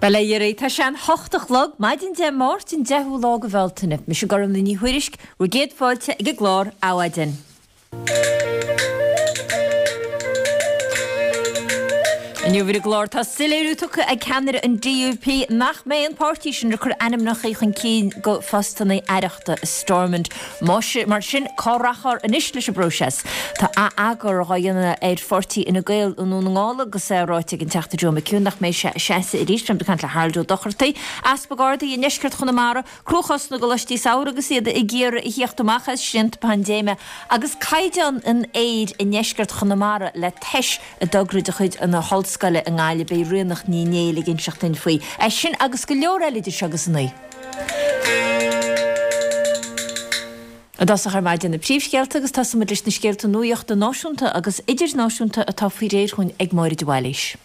Bail ó Dhia oraibh, tá sé an hocht a chlog, maidin Dé Máirt an 10ú lá de Bhealtaine. Mise Gormlaith Ní Thuairisg, bhur gcéad fáilte ag an gclár Adhmhaidin. Inniu ar an gclár tá soiléiriú tugtha ag ceannaire an DUP nach mbeidh an páirtí sin ag cur ainmneacha chun cinn do phostanna aireachta i Stormont. Mar sin, cá rachfar anois leis an bpróiseas? Tá ath-eagar dhá dhéanamh ar pháirtí Fhine Gael i nDún na nGall agus é ráite ag an Teachta Joe McHugh nach mbeidh sé ag seasamh arís. Beimid ag caint le Harold Ó Dochartaigh, Easpag Ard i ndeisceart Chonamara. Cruachás na gcoláistí samhraidh agus iad ag iarraidh a thíocht amach as srianta paindéime agus caighdeán an aeir i ndeisceart Chonamara le tomhas i dtogra de chuid na hOllscoile i nGaillimh. Beidh Ríonach Ní Néill ag inseacht duinn faoi. É sin agus go leor eile idir seo agus a naoi. I dtosach ar maidin na príomhscéalta agus tosóidh muid leis na scéalta nuachta náisiúnta agus idirnáisiúnta atá faoi réir chugainn ag Máire de Bhailís.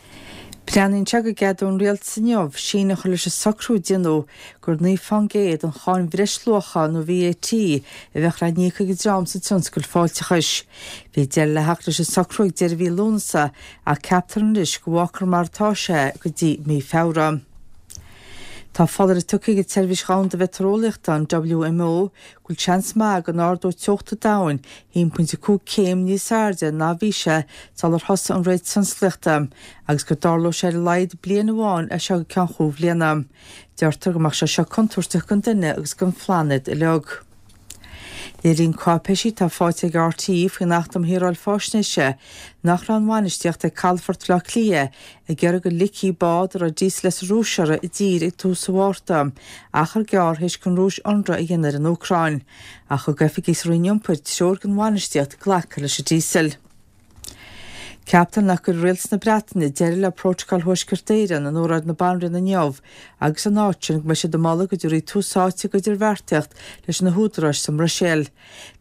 Breathnaíonn sé go gceadóidh an rialtas inniu síneadh a chur leis an socrú a déanadh gur 9 fán gcéad den cháin bhreisluacha nó VAT a bheadh le n-íoc ag an dream sa tionscal fáilteachais. Bhí deireadh le theacht leis an socrú ag deireadh mhí Lúnasa ach ceaptar anois go bhfágfar mar atá sé go dtí mí Feabhra. Tá foláireamh tugtha ag an tSeirbhís Dhomhanda Mheitéareolaíochta, an WMO, go bhfuil seans maith go n-ardóidh teocht an domhain 1.5 céim níos airde ná bhí sé sular thosaigh an ré tionsclaíochta agus go dtarlóidh sé ar a laghad bliain amháin as seo go ceann chúig bhliana. Deirtear go mbeadh sé seo contúirteach don duine agus don phlainéad uilig. Léiríonn cáipéisí atá faighte ag RTÉ faoin Acht um Shaoráil Faisnéise nach raibh an bhainistíocht ag Calafort Bhaile Átha Cliath ag iarraidh go ligfí bád a raibh díosal as an Rúis uirthi i dtír ag tús an Mhárta, achar gearr théis don Rúis ionradh a dhéanamh ar an Úcráin. Ach thug oifigigh sa Roinn Iompair treoir don bhainistíocht glacadh leis an díosal. Ceaptar nach gcuirfidh Rialtas na Breataine deireadh le Prótacal Thuaisceart Éireann in óráid na Banríona inniu agus ina áit sin go mbeidh siad ag moladh go dtabharfaí tús áite d'idirbheartaíocht leis na húdaráis sa mBruiséil.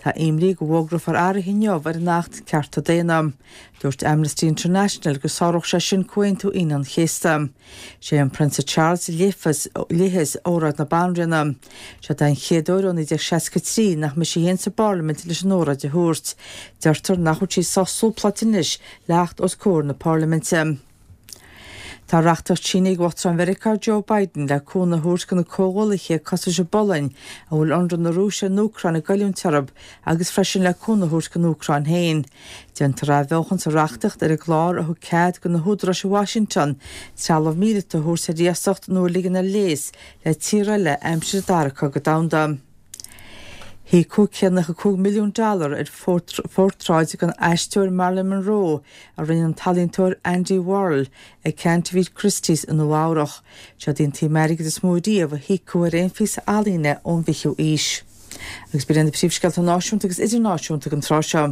Tá imní go bhfógrófar athruithe inniu ar an Acht Cearta Daonna. Dúirt Amnesty International go sáródh sé sin Comhaontú Aoine an Chéasta. Sé an Prionsa Charles a léifeas óráid na Banríona. Seod é an chéad uair ó 1963 nach mbeidh sí féin sa bParlaimint leis an óráid a thabhairt. Deirtear nach bhfuil sí sách súpláilte anois le theacht os comhair na Parlaiminte. Tá reachtaíocht sínithe ag Uachtarán Mheiriceá Joe Biden le cúnamh a thabhairt do na comhghuallaithe cosúil leis an bPolainn a bhfuil ionradh na Rúise ar an Úcráin ag goilliúint orthu agus freisin le cúnamh a thabhairt don Úcráin féin. Déantar athbheochan sa reachtaíocht ar an gclár a thug cead do na húdaráis i Washington trealamh míleata a thabhairt ar iasacht nó a ligean ar léas le tír eile aimsir an Dara Cogadh Domhanda. Híocadh 195 milliún dollar ar phortráid den aisteoir Marilyn Monroe a rinne an t-ealaíontóir Andy Warhol ag ceant a bhí Christie's i Nua Eabhrach. Seod í an tsuim airgid is mó riamh a híocadh ar aon phíosa ealaíne ón bhfichiú aois. Agus b'in iad na príomhscéalta náisiúnta agus idirnáisiúnta don tráth seo.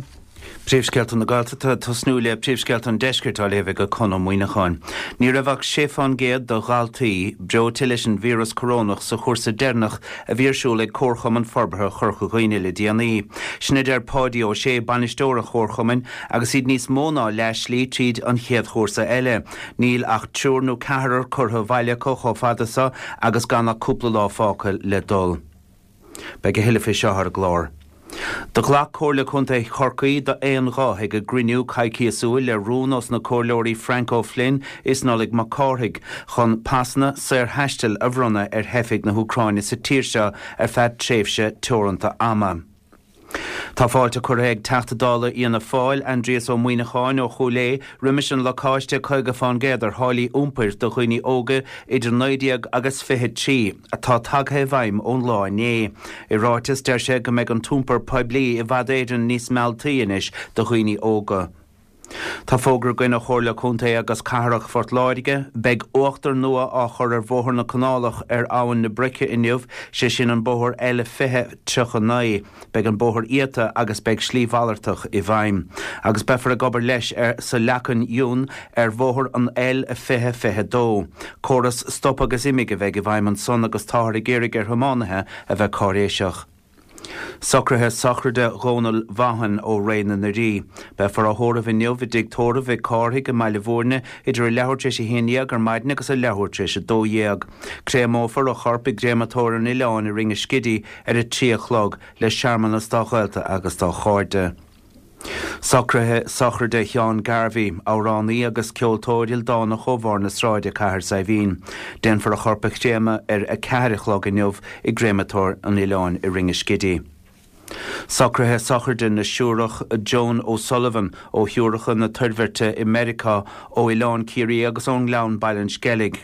Príomhscéalta na Gaeltachta, ag tosnú le príomhscéalta an Deiscirt á léamh ag Conn Ó Muíneacháin. Ní raibh ach 6 fán gcéad de dhaltaí breoite leis an víreas corónach sa chúrsa deireanach a bhí ar siúl ag Comharchumann Forbartha Chorca Dhuibhne le déanaí. Sin a deir Páidí Ó Sé, bainisteoir an chomharchumainn, agus iad níos mó ná leath slí tríd an chéad chúrsa eile. Níl ach triúr nó ceathrar curtha abhaile acu chomh fada so agus gan ach cúpla lá fágtha le dul. Beidh a thuilleadh fé seo ar an gclár. Do ghlac Comhairle Contae Chorcaí d'aon ghuth ag a gcruinniú coicíosúil le rún ós na Comhairleoirí Frank O'Flynn is Nollaig Mac Cárthaigh chun pasanna saorthaistil a bhronnadh ar theifigh na hÚcráine sa tír seo ar feadh tréimhse teoranta ama. Tá fáilte curtha ag Teachta Dála Fhianna Fáil, Aindrias Ó Muíneacháin ó Chúil Aodha, roimis an lacáiste 50% ar tháillí iompair do dhaoine óga idir 19 agus 23 atá tagtha i bhfeidhm ón lá inné. I ráiteas, deir sé go mbeidh an t-iompar poiblí i bhfad Éireann níos mealltaí anois do dhaoine óga. Tá fógra againn ó Chomhairle Contae agus Cathrach Phort Láirge. Beidh uachtar nua á chur ar Bhóthar na Canálach ar Abhainn na Broice inniu, sé sin an bóthar L20 39. Beidh an bóthar iata agus beidh slí mhalartach i bhfeidhm. Agus beifear ag obair leis ar sa Leacain Fhionn ar bhóthar an L20 22. Córas stop agus imigh a bheidh i bhfeidhm ansan agus táthar ag iarraidh ar thiománaithe a bheith cáiréiseach. Socruithe sochraide Dhónaill Vaughan ó Ré na nDoirí. Beifear á thórramh inniu i dtigh tórraimh Mhic Cárthaigh i mBaile Bhúirne idir a leathuair tar éis 11 ar maidin agus a leathuair tar éis 12. Créamófar a chorp i gCréamatóir an Oileáin i Rinn an Scidígh ar a 3 a chlog le searmanas dá ghaolta agus dá chairde. Socruithe sochraide Sheáin Garvey, amhránaí agus ceoltóir ildánach ó Bharr na Sráide, Cathair Saidhbhín. Déanfar a chorp a chréamadh ar 4 a chlog inniu i gCréamatóir an Oileáin i Ringaskiddy. Socruithe sochraide na Siúrach Joan O'Sullivan ó Shiúracha na Toirbhirte i Meiriceá, ó Oileán Ciarraí agus ón nGleann Baile an Sceilg.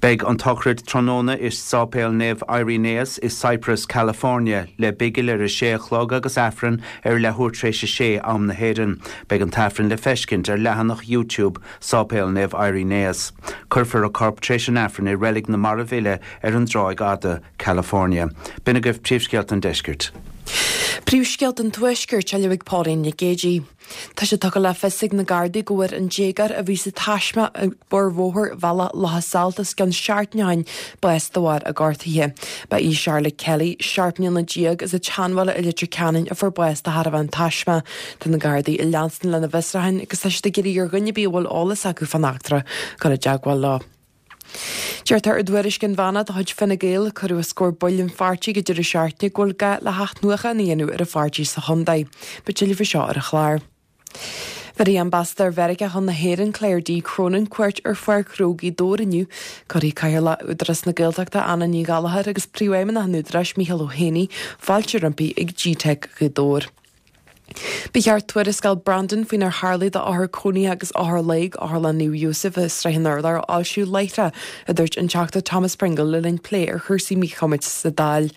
Beidh an tsochraid tráthnóna i Sáipéal Naomh Irenaeus i Cypress, California, le bigil ar a sé a chlog agus Aifreann ar leathuair tar éis a sé, am na hÉireann. Beidh an tAifreann le feiscint ar leathanach YouTube Sáipéal Naomh Irenaeus. Cuirfear a corp tar éis an Aifrinn i Reilig na Marbh Uile ar an dTráigh Fhada, California. B'in agaibh príomhscéalta an deiscirt. Príomhscéalta an Tuaiscirt á léamh ag Pauline Nic Géidigh. Tá sé tugtha le fios ag na Gardaí go bhfuair an déagóir a bhí sa taisme ag barr bhóthar Bhealach Locha Sailт os cionn seachtain ó shin bás de bharr a gortuithe. Ba í Charlotte Kelly, 17 mbliana as an tSeanbhaile i Leitir Ceanainn a fuair bás de thairbhe an taisme. Tá na Gardaí ag leanstan lena bhfiosrúchán agus tá siad ag iarraidh ar dhuine ar bith a bhfuil eolas acu fán eachtra dul i dteagmháil leo. Deirtear i dtuairisc inmheánach de chuid Fine Gael a cuireadh os comhair baill an pháirtí ag an deireadh seachtaine go bhfuil gá le hathnuachan a dhéanamh ar an pháirtí sa chontae. Beidh tuilleadh faoi seo ar an chlár. Bhéarfaidh Ambasadóir Mheiriceá chun na hÉireann, Claire D. Cronin, cuairt ar Pháirc Ghnó Ghaoth Dobhair inniu. Cuirfidh Cathaoirleach Údarás na Gaeltachta, Anna Ní Ghallchóir agus Príomhfheidhmeannach an Údaráis, Micheál Ó hÉanaí, fáilte roimpi ag GTeic Ghaoth Dobhair. Ba cheart tuarascáil Brandon faoinar tharlaigh d'othair cónaithe agus othair lae ag Otharlann Naomh Iósaf i Srath an Urláir a fhoilsiú láithreach, a dúirt an Teachta Thomas Pringle le linn plé ar chúrsaí míchumais sa Dáil.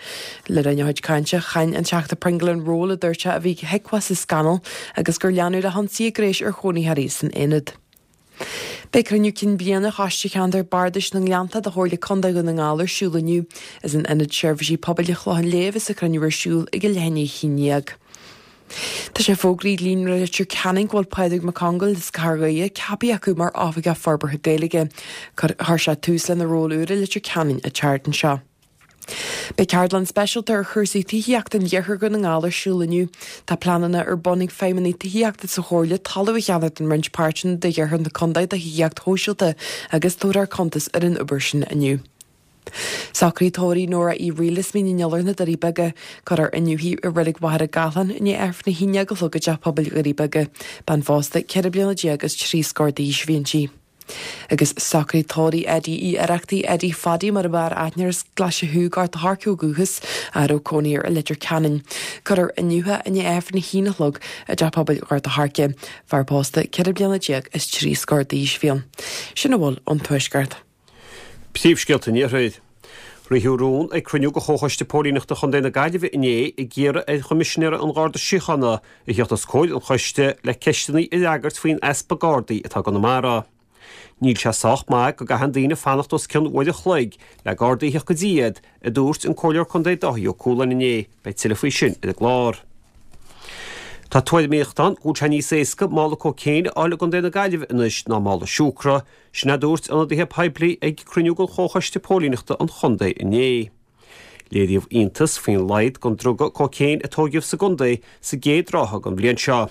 Le linn a chuid cainte, cháin an Teachta Pringle an ról a dúirt sé a bhí ag HIQA sa scannal agus gur leanadh le hionsaithe gnéis ar chónaitheoirí san aonad. Beidh cruinniú cinn bliana Choiste Cheantar Bardais na nGleannta de Chomhairle Contae Dhún na nGall ar siúl inniu. Is in Ionad Seirbhísí Pobail an Chlocháin Léith a bheas an cruinniú ar siúl ag a leath i ndiaidh 11. Tá sé fógraithe ag Líonra Leitir Ceanainn go bhfuil Pádraig Mac Congáil as Cathair Dhoire ceaptha acu mar Oifigeach Forbartha Gaeilge. Chuir sé tús lena ról úr i Leitir Ceanainn an tseachtain seo. Beidh ceardlann speisialta ar chúrsaí tithíochta in iarthar Dhún na nGall ar siúl inniu. Tá pleananna ar bun ag feidhmeannaigh tithíochta sa Chomhairle talamh a cheannach in roinnt páirteanna d'iarthar na contae do thithíocht shóisialta agus tabharfar cuntas ar an obair sin inniu. Socruithe tórraimh Nóra Uí Fhrighil as Mín an Iolair na Doirí Beaga. Cuirfear inniu í i Reilig Mhachaire Gathlán i ndiaidh Aifreann a haon déag a chlog i dTeach Pobail Dhoirí Beaga. Bean phósta 14 bliana is trí scór d'aois a bhí inti. Agus socruithe tórraimh Eddie Uí Oireachtaigh, Eddie Phaddy mar ab fhearr aithne air as Glaise Chú, Gort a' Choirce ó dhúchas, a raibh cónaí air i Leitir Ceanainn. Cuirfear inniu é i ndiaidh Aifreann a haon a chlog i dTeach Pobail Ghort a' Choirce. Fear pósta 14 bliana is trí scór d'aois a bhí ann. Sin a bhfuil ón Tuaisceart. Príomhscéalta an Iarthair. Ritheadh rún ag cruinniú de Chomhchoiste Póilíneachta Chontae na Gaillimhe inné ag iarraidh ar Choimisinéir an Gharda Síochána a theacht os comhair an choiste le ceisteanna a fhreagairt faoin easpa Gardaí atá i gConamara. Níl sé sách maith go gcaitheann daoine fanacht os cionn uair a chloig le Gardaí a theacht go dtí iad, a dúirt an Comhairleoir Contae Dáithí Ó Cualáin inné. Beidh tuilleadh faoi sin ar an gclár. Tá tuairimíocht ann go bhfuil sé níos éasca mála cóicéin a fháil i gContae na Gaillimhe anois ná mála siúcra. Sin a dúirt ionadaithe poiblí ag cruinniú de Chomhchoiste Póilíneachta an Chontae inné. Léiríodh iontas faoin laghad den druga cóicéin a tóigeadh sa gcontae sa gcéad ráithe den bhliain seo.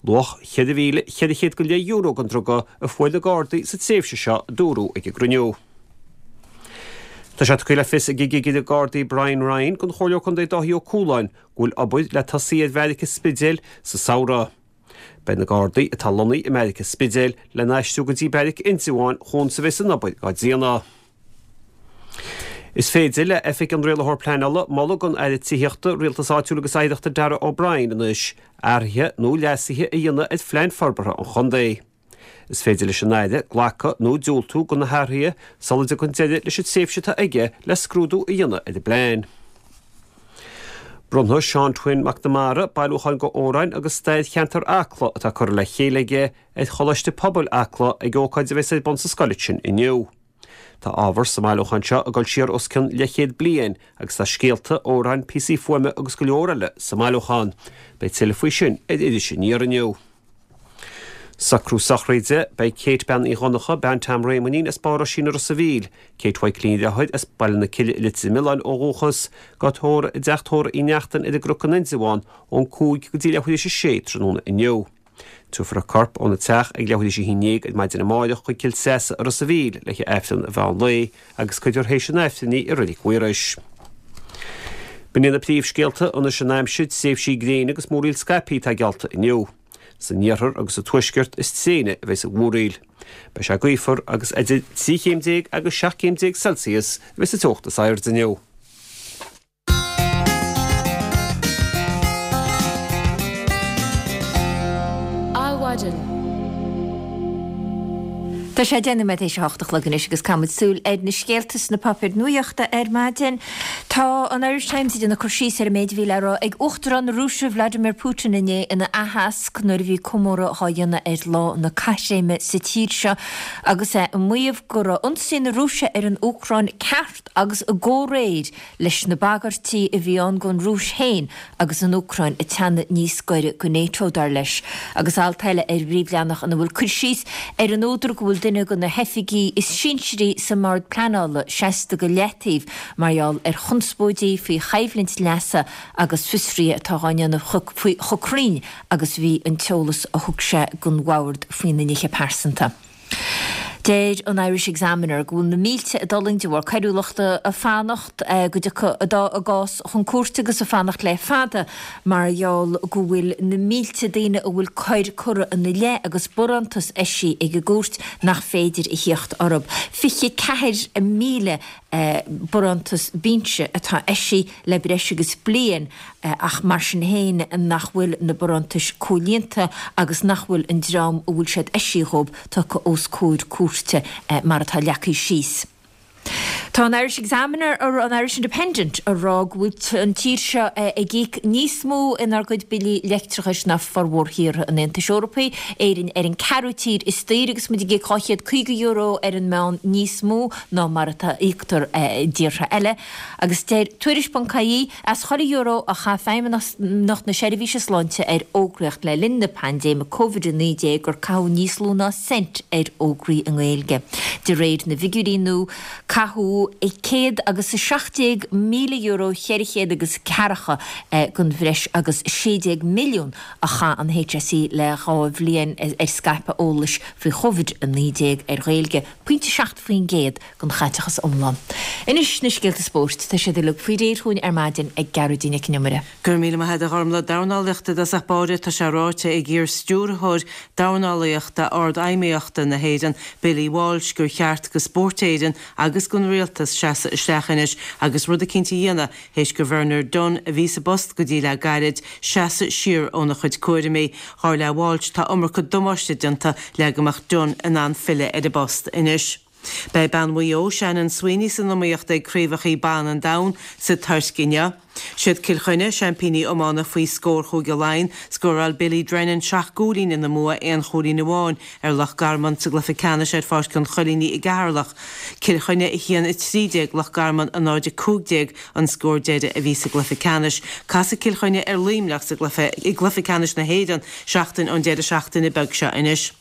Luach €4,400 go leith euro den druga a fuair na Gardaí sa tréimhse seo, a dúradh ag an gcruinniú. Tá sé tugtha le fios ag an gCigire Gardaí Brian Ryan don Chomhairleoir Contae Dáithí Ó Cualáin go bhfuil obair le tosaí ar bheairic an Spidéil sa samhradh. Beidh na Gardaí atá lonnaithe i mbeairic an Spidéil le n-aistriú go dtí beairic Indreabháin chuan is a bheas an obair dhá déanamh. Is féidir le Oifig an Rialaitheoir Pleanála moladh don Aire Tithíochta, Rialtais Áitiúil agus Oidhreachta Darragh O'Brien anois athruithe nó leasuithe a dhéanamh ar phlean forbartha an chontae. Is féidir leis an Aire glacadh nó diúltú do na hathruithe sula dtagann deireadh leis an tréimhse atá aige le scrúdú a dhéanamh ar an bplean. Bronnfaidh Seán Twin McNamara bailiúchán d'amhráin agus stair cheantar Acla atá curtha le chéile aige ar Choláiste Pobail Acla ag ócáid a bheas ar bun sa scoil sin inniu. Tá ábhar sa mbailiúchán seo ag dul siar os cionn leathchéad bliain agus tá scéalta, amhráin, píosaí fuaime agus go leor eile sa mbailiúchán. Beidh tuilleadh faoi sin ar Iris Aniar inniu. Socrú sochraide, Beidh Kate Bean Uí Dhonncha, bean Tom Réamoinín as Barr Oisín i Ros a' Mhíl, Kate Mhaidhcilín a dheartháir as Baile na Cille i Leitir Mealláin ó dhúchas, dhá tórramh i dteach tórraimh Uí Neachtain ar an gCnoc in Indreabhán ón 5 go dtí leathuair théis a sé tráthnóna inniu. Tabharfar a corp óna teach ag leathuair théis a haon dhéag ar maidin amáireach chuig Cill Treasa i Ros a' Mhíl le haghaidh Aifreann an mheán lae agus cuirfear théis an Aifrinn í i Reilig Mhaorais. B'in iad na príomhscéalta, anois an aimsir, tréimhsí gréine agus múraíl scaipthe atá geallta inniu. San iarthar agus sa tuaisceart is tréine a bheas an mhúraíl. Beidh sé gaofar agus idir 13 chéim agus 17 chéim Celsius a bheas an teocht is airde inniu. Adhmhaidin. Tá sé 10 nóiméad théis a hocht a chlog anois agus caithfimid súil ar na scéalta sna páipéir nuachta ar maidin. Tá an Irish Times ag déanamh cur síos ar an méid a bhí le rá ag Uachtarán na Rúise Vladimir Putin inné ina aitheasc nuair a bhí comóradh á dhéanamh ar Lá na Caithréime sa tír seo agus é ag maíomh go raibh ionsaí na Rúise ar an Úcráin ceart agus i gcomhréir leis na bagairtí a bhí ann don Rúis féin agus an Úcráin ag teannadh níos gaire go NATO, dar leis. Agus alt eile ar an bpríomhleathanach ina bhfuil cur síos ar an údar go bhfuil duine de na hoifigigh is sinsearaí sa mBord Pleanála seasta go leataobh mar gheall ar chonspóidí faoi choimhlint leasa agus fiosruithe atá á ndéanamh faoi chomh cruinn agus a bhí an t-eolas a thug sé don bhord faoina nithe pearsanta. Deir an Irish Examiner go bhfuil na mílte ag d'fhulaingt de bharr coiriúlachta ag fanacht go dtiocfaidh a gcás chun cúirte agus ag fanacht le fada mar gheall go bhfuil na mílte daoine a bhfuil coir curtha ina leith agus barántas eisithe ag an gcúirt nach féidir a thíocht orthu. 24,000 barántas binse atá eisithe le breis agus bliain ach mar sin féin nach bhfuil na barántais comhlíonta agus nach bhfuil an dream a bhfuil siad eisithe dhóibh tugtha os comhair cúirte mar atá leagtha síos. Tá an Irish Examiner, an Irish Independent ag rá go bhfuil an tír seo ag íoc níos mó inár gcuid billí leictreachais ná formhór thíortha an Aontais Eorpaigh, Éirinn ar an ceathrú tír is daoire agus muid ag íoc €250 ar an meán níos mó ná mar atá íoctar i dtíortha eile. Agus deir Tuairisc.ie, as chuile euro a chaith Feidhmeannacht na Seirbhíse Sláinte ar fhógraíocht le linn na paindéime Covid-19 gur caitheadh níos lú ná cent ar fhógraí i nGaeilge. De réir na bhfigiúirí nua, caitheadh céad agus 17,000 euro 400 agus ceathracha den bhreis agus 16 milliún a chaith an HSE le dhá bhliain ar scaipeadh eolais faoi Chovid-19 ar Ghaeilge, pointe 7%. den chaiteachas iomlán. Anois na scéalta spóirt, tá siad uilig faoi réir chugainn ar maidin ag Gearóidín Nic an Iomaire. Go raibh míle maith agat a Ghormlaith. Dornálaíocht i dtosach báire, tá sé ráite ag iar-stiúrthóir dornálaíochta Ard-Fheidhmeannachta na hÉireann, Billy Walsh, gur cheart go Spórt Éireann agus don Rialtas seasamh isteach anois agus rud eicínt a dhéanamh théis go Bernard Dunne, a bhí sa bpost go dtí le gairid, seasamh siar óna chuid cúraimí. Dar le Walsh, tá iomarca damáiste déanta le go mbeadh Dunne in ann filleadh ar an bpost anois. Beidh bean Mhaigh Eo, Shannon Sweeney san iomaíocht ag Craobhacha Ban an Domhain sa Tuirc inniu. Siad Cill Chainnigh, seaimpíní iomána faoi scór Chúige Laighean. Scóráil Billy Drennan seacht gcúilín ina mbua aon chúilín amháin ar Loch Garman sa gcluiche ceannais ar Pháirc an Choilínigh i gCeatharlach. Cill Chainnigh 1-13, Loch Garman 0-15 an scór deiridh a bhí sa gcluiche ceannais. Casfaidh Cill Chainnigh ar Luimneach sa gcluiche i gcluiche ceannais na hÉireann seachtain ón deireadh seachtaine beag seo anois.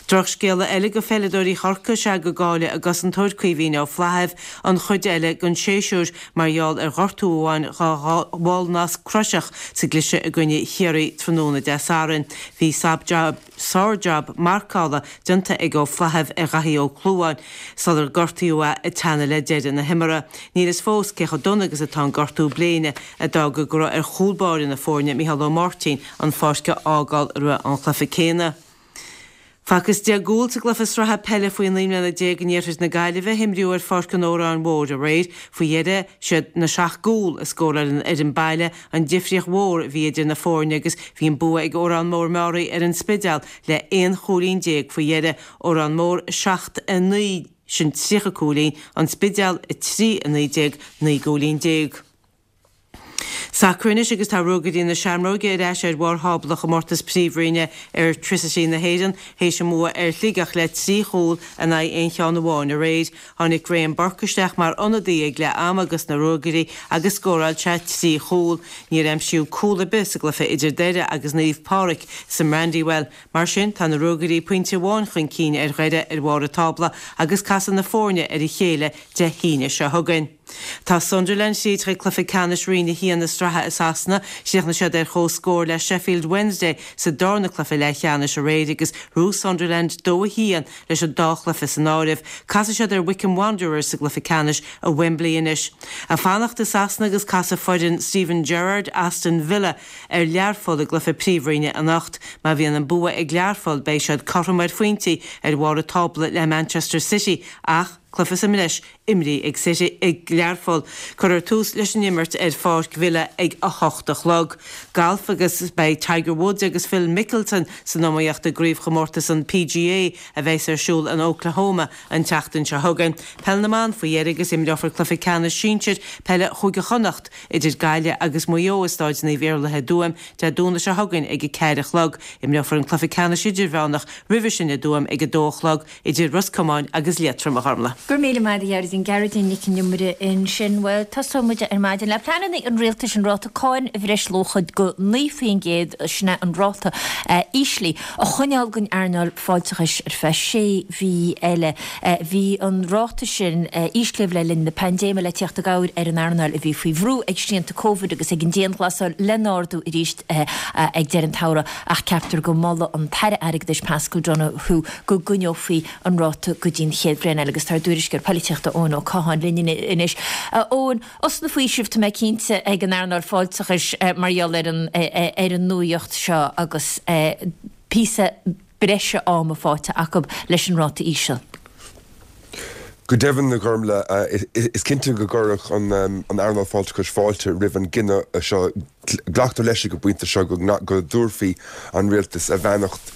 Drochscéala eile go pheileadóirí Chorcaí is ea go gcaillfidh a gcosantóir Caoimhín Ó Flaithimh an chuid eile den séasúr mar gheall ar ghortú a bhain dhá bhallnasc croiseach sa gcliseadh i gcoinne Chiarraí tráthnóna Dé Sathairn. Bhí sár-jab marcála déanta ag Ó Flaithimh ar Dhaithí Ó Clúmháin sular gortaíodh é ag teannadh le deireadh na himeartha. Níl fhios fós cé chomh dona agus atá an gortú bléine a d'fhág go raibh ar chúl báire na foirne, Micheál Ó Máirtín, an pháirc a fhágáil roimh an chluiche céanna. Facthas 10 gcúl sa gcluiche sraithe peile faoi 19 mbliana in iarthar na Gaillimhe a himríodh ar Pháirc an Óráin Mhóir aréir. Faoi dheireadh, siad na seacht gcúl a scóráil an fhoireann baile an difríocht mhór a bhí idir na foirne agus bhí an bua ag Órán Mór Meáraí ar an Spidéal le 11 chúilín faoi dheireadh. Órán Mór 7, 9, sin 30 cúilín, An Spidéal 3, 19, 19 gcúilín. Sacar anois agus tá Ruagairí na Seamróige ar ais ar bharr thábla chomórtas príomhroinne Airtricity na hÉireann théis a mbua ar Shligeach le 3 chúl in aghaidh aon cheann amháin aréir. Tháinig Graham Burke isteach mar ionadaí ag leath ama dos na Ruagairí agus scóráil sé 3 chúl. Níor aimsíodh cúl ar bith sa gcluiche idir Doire agus Naomh Pádraig sa mBrandywell. Mar sin, tá na Ruagairí pointe amháin chun cinn ar Dhoire ar bharr an tábla agus casfaidh na foirne ar a chéile Dé hAoine seo chugainn. Tá Sunderland tríd chuig cluiche ceannais Roinn 1 na sraithe i Sasana. Chríochnaigh siad ar comhscór le Sheffield Wednesday sa darna cluiche leathcheannais aréir agus ghnóthaigh Sunderland 2-1 leis an dá chluiche san áireamh. Casfaidh siad ar Wycombe Wanderers sa gcluiche ceannais i Wembley anois. Ag fanacht i Sasana agus casfaidh foireann Steven Gerrard, Aston Villa, ar Learpholl i gcluiche Príomhroinne anocht. Má bhíonn an bua ag Learpholl beidh siad cothrom ar phointí ar bharr an tábla le Manchester City ach cluiche sa mbreis imrithe ag City ag Learpholl. Cuirfear tús leis an imirt ar pháirc Villa ag 8 a chlog. Galf agus beidh Tiger Woods agus Phil Mickelson san iomaíocht i gcraobhchomórtas an PGA a bheas ar siúl in Oklahoma an tseachtain seo chugainn. Peil na mBan faoi dheireadh agus imreofar cluiche ceannais sinsir peile Chúige Chonnacht idir Gaillimh agus Maigh Eo i Stáid Naomh Iarlaith i dTuaim Dé Domhnaigh seo chugainn ag 4 a chlog. Imreofar an cluiche ceannais idirmheánach roimhe sin i dTuaim ag 2 a chlog idir Ros Comáin agus Liatroim, a Ghormlaith. Go raibh míle maith agat a Ghearóidín, Gearóidín Nic an Iomaire ansin. Bhuel, tosóidh muid ar maidin le pleananna an rialtais an ráta cáin bhreisluacha go 9%, sin é an ráta íslithe, a choinneáil don earnáil fáilteachais ar feadh sé mhí eile. Bhí an ráta sin íslithe le linn na paindéime le tíocht i gcabhair ar an earnáil a bhí faoi bhrú ag srianta Covid agus ag an dianghlasáil lena ardú arís ag deireadh an tsamhraidh ach ceaptar go molfaidh an tAire Airgeadais Paschal Donohoe go gcoinneofaí an ráta go dtí an chéad bhliain eile agus tá ár dtuairisceoir polaitíochta Eoin Ó Catháin linn anois. A Eoin, osna faoisimh tá mé cinnte ag an earnáil fáilteachais mar gheall ar an ar an nuaíocht seo agus píosa breise ama faighte acu leis an ráta íseal. Go deimhin, a Ghormlaith, is cinnte go gcuirfeadh an earnáil fáilteachais fáilte roimh an gcinneadh seo. Glactar leis ag an bpointe seo go dtabharfaidh an Rialtas a bheannacht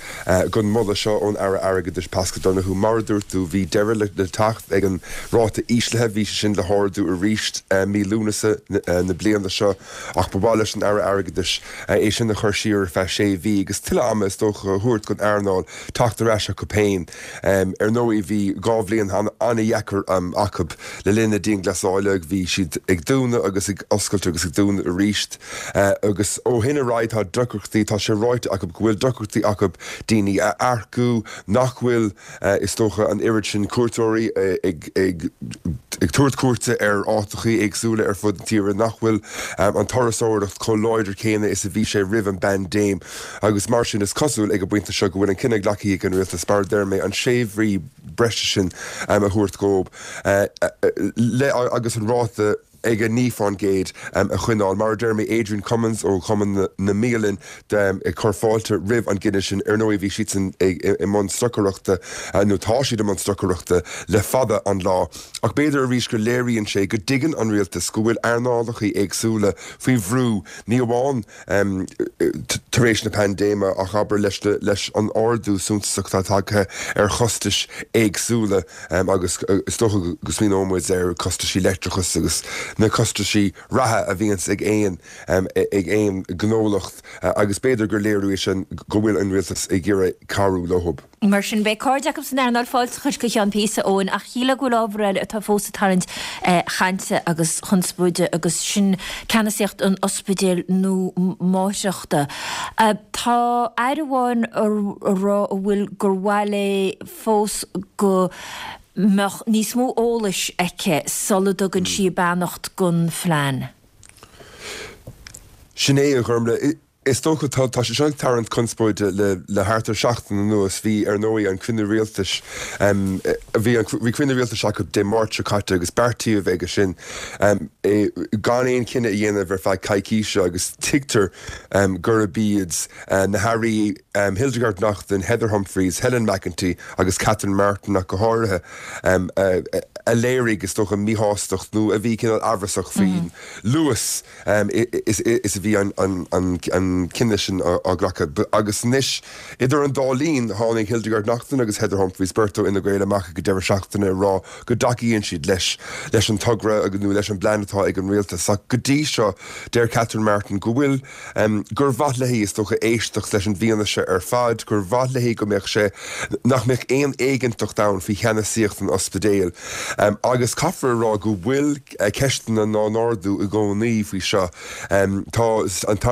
don mholadh seo ón Aire Airgeadais Paschal Donohoe. Mar a dúirt tú, bhí deireadh le teacht ag an ráta íslithe, bhí sé sin le hardú arís mí Lúnasa na bliana seo ach ba mhaith leis an Aire Airgeadais é sin a chur siar ar feadh sé mhí agus tuilleadh ama is dócha a thabhairt don earnáil teacht ar ais acu féin. Ar ndóigh bhí 2 bhliain an-dheacair acu le linn na dianghlasála, bhí siad ag dúnadh agus ag oscailt agus ag dúnadh arís agus ó shin ar aghaidh tá deacrachtaí, tá sé ráite acu go bhfuil deacrachtaí acu daoine a earcú, nach bhfuil is dócha an oiread sin cuairteoirí ag ag tabhairt cuairte ar áiteachaí éagsúla ar fud na tíre, nach bhfuil an turasóireacht chomh láidir céanna is a bhí sé roimh an bpaindéim. Agus mar sin, is cosúil ag an bpointe seo go bhfuil an cinneadh glactha ag an rialtas, mar a deir mé, an sé mhí breise sin a thabhairt dhóibh le agus an ráta ag 9% a choinneáil. Mar a deir mé, Adrian Cummins ó Chumann na mBialann ag cur fáilte roimh an gcinneadh sin. Ar ndóigh, bhí siadsan i mbun stocaireachta, nó tá siad i mbun stocaireachta le fada an lá. Ach b'fhéidir arís go léiríonn sé go dtuigeann an rialtas go bhfuil earnálacha éagsúla faoi bhrú, ní amháin tar éis na paindéime ach abair leis an ardú suntasach atá tagtha ar chostais éagsúla agus is dócha go smaoineoidh muid ar chostaisí leictreachais agus na costaisí reatha a bhíonns ag aon ag aon ghnólacht agus b'fhéidir gur léiriú é sin go bhfuil an rialtas ag iarraidh cabhrú leo. Mar sin, beidh cairde acu san earnáil fáilteachais go ceann píosa, Eoin, ach shílfeá go bhfuil ábhar eile atá fós ag tarraingt chainte agus chonspóide agus sin ceannasaíocht an ospidéil nua máithreachta. Tá aire amháin ag rá a bhfuil gur mhaith léi fós go mbeadh níos mó eolais aici sula dtugann sí a beannacht don phlean. Sin é, a Ghormlaith. Is dócha, tá, tá sé seo ag tarraingt conspóide le, le thart ar seachtain anuas. Bhí, ar ndóigh, an cruinniú rialtais, bhí an, bhí cruinniú rialtais acu Dé Máirt seo caite agus beartaíodh aige sin gan aon chinneadh a dhéanamh ar feadh coicíse agus tuigtear gurb iad na hairí Hildegarde Naughton, Heather Humphreys, Helen McEntee agus Catherine Martin ach go háirithe a léirigh, is dócha, míshástacht nó a bhí cineál amhrasach faoin luas is a bhí an cinneadh sin á ghlacadh. Agus anois, idir an dá linn, tháinig Hildegarde Naughton agus Heather Humphreys, beirt ó Fhine Gael, amach ag an deireadh seachtaine ag rá go dtacaíonn siad leis leis an togra nó leis an bplean atá ag an rialtas. Ach go dtí seo, deir Catherine Martin go bhfuil, gur mhaith léi, is dócha, éisteacht leis an bhfianaise ar fad, gur mhaith léi go mbeadh sé, nach mbeadh aon éiginnteacht ann faoi cheannasaíocht an ospidéil. Agus caithfear a rá go bhfuil ceisteanna á n-ardú i gcónaí faoi seo. Tá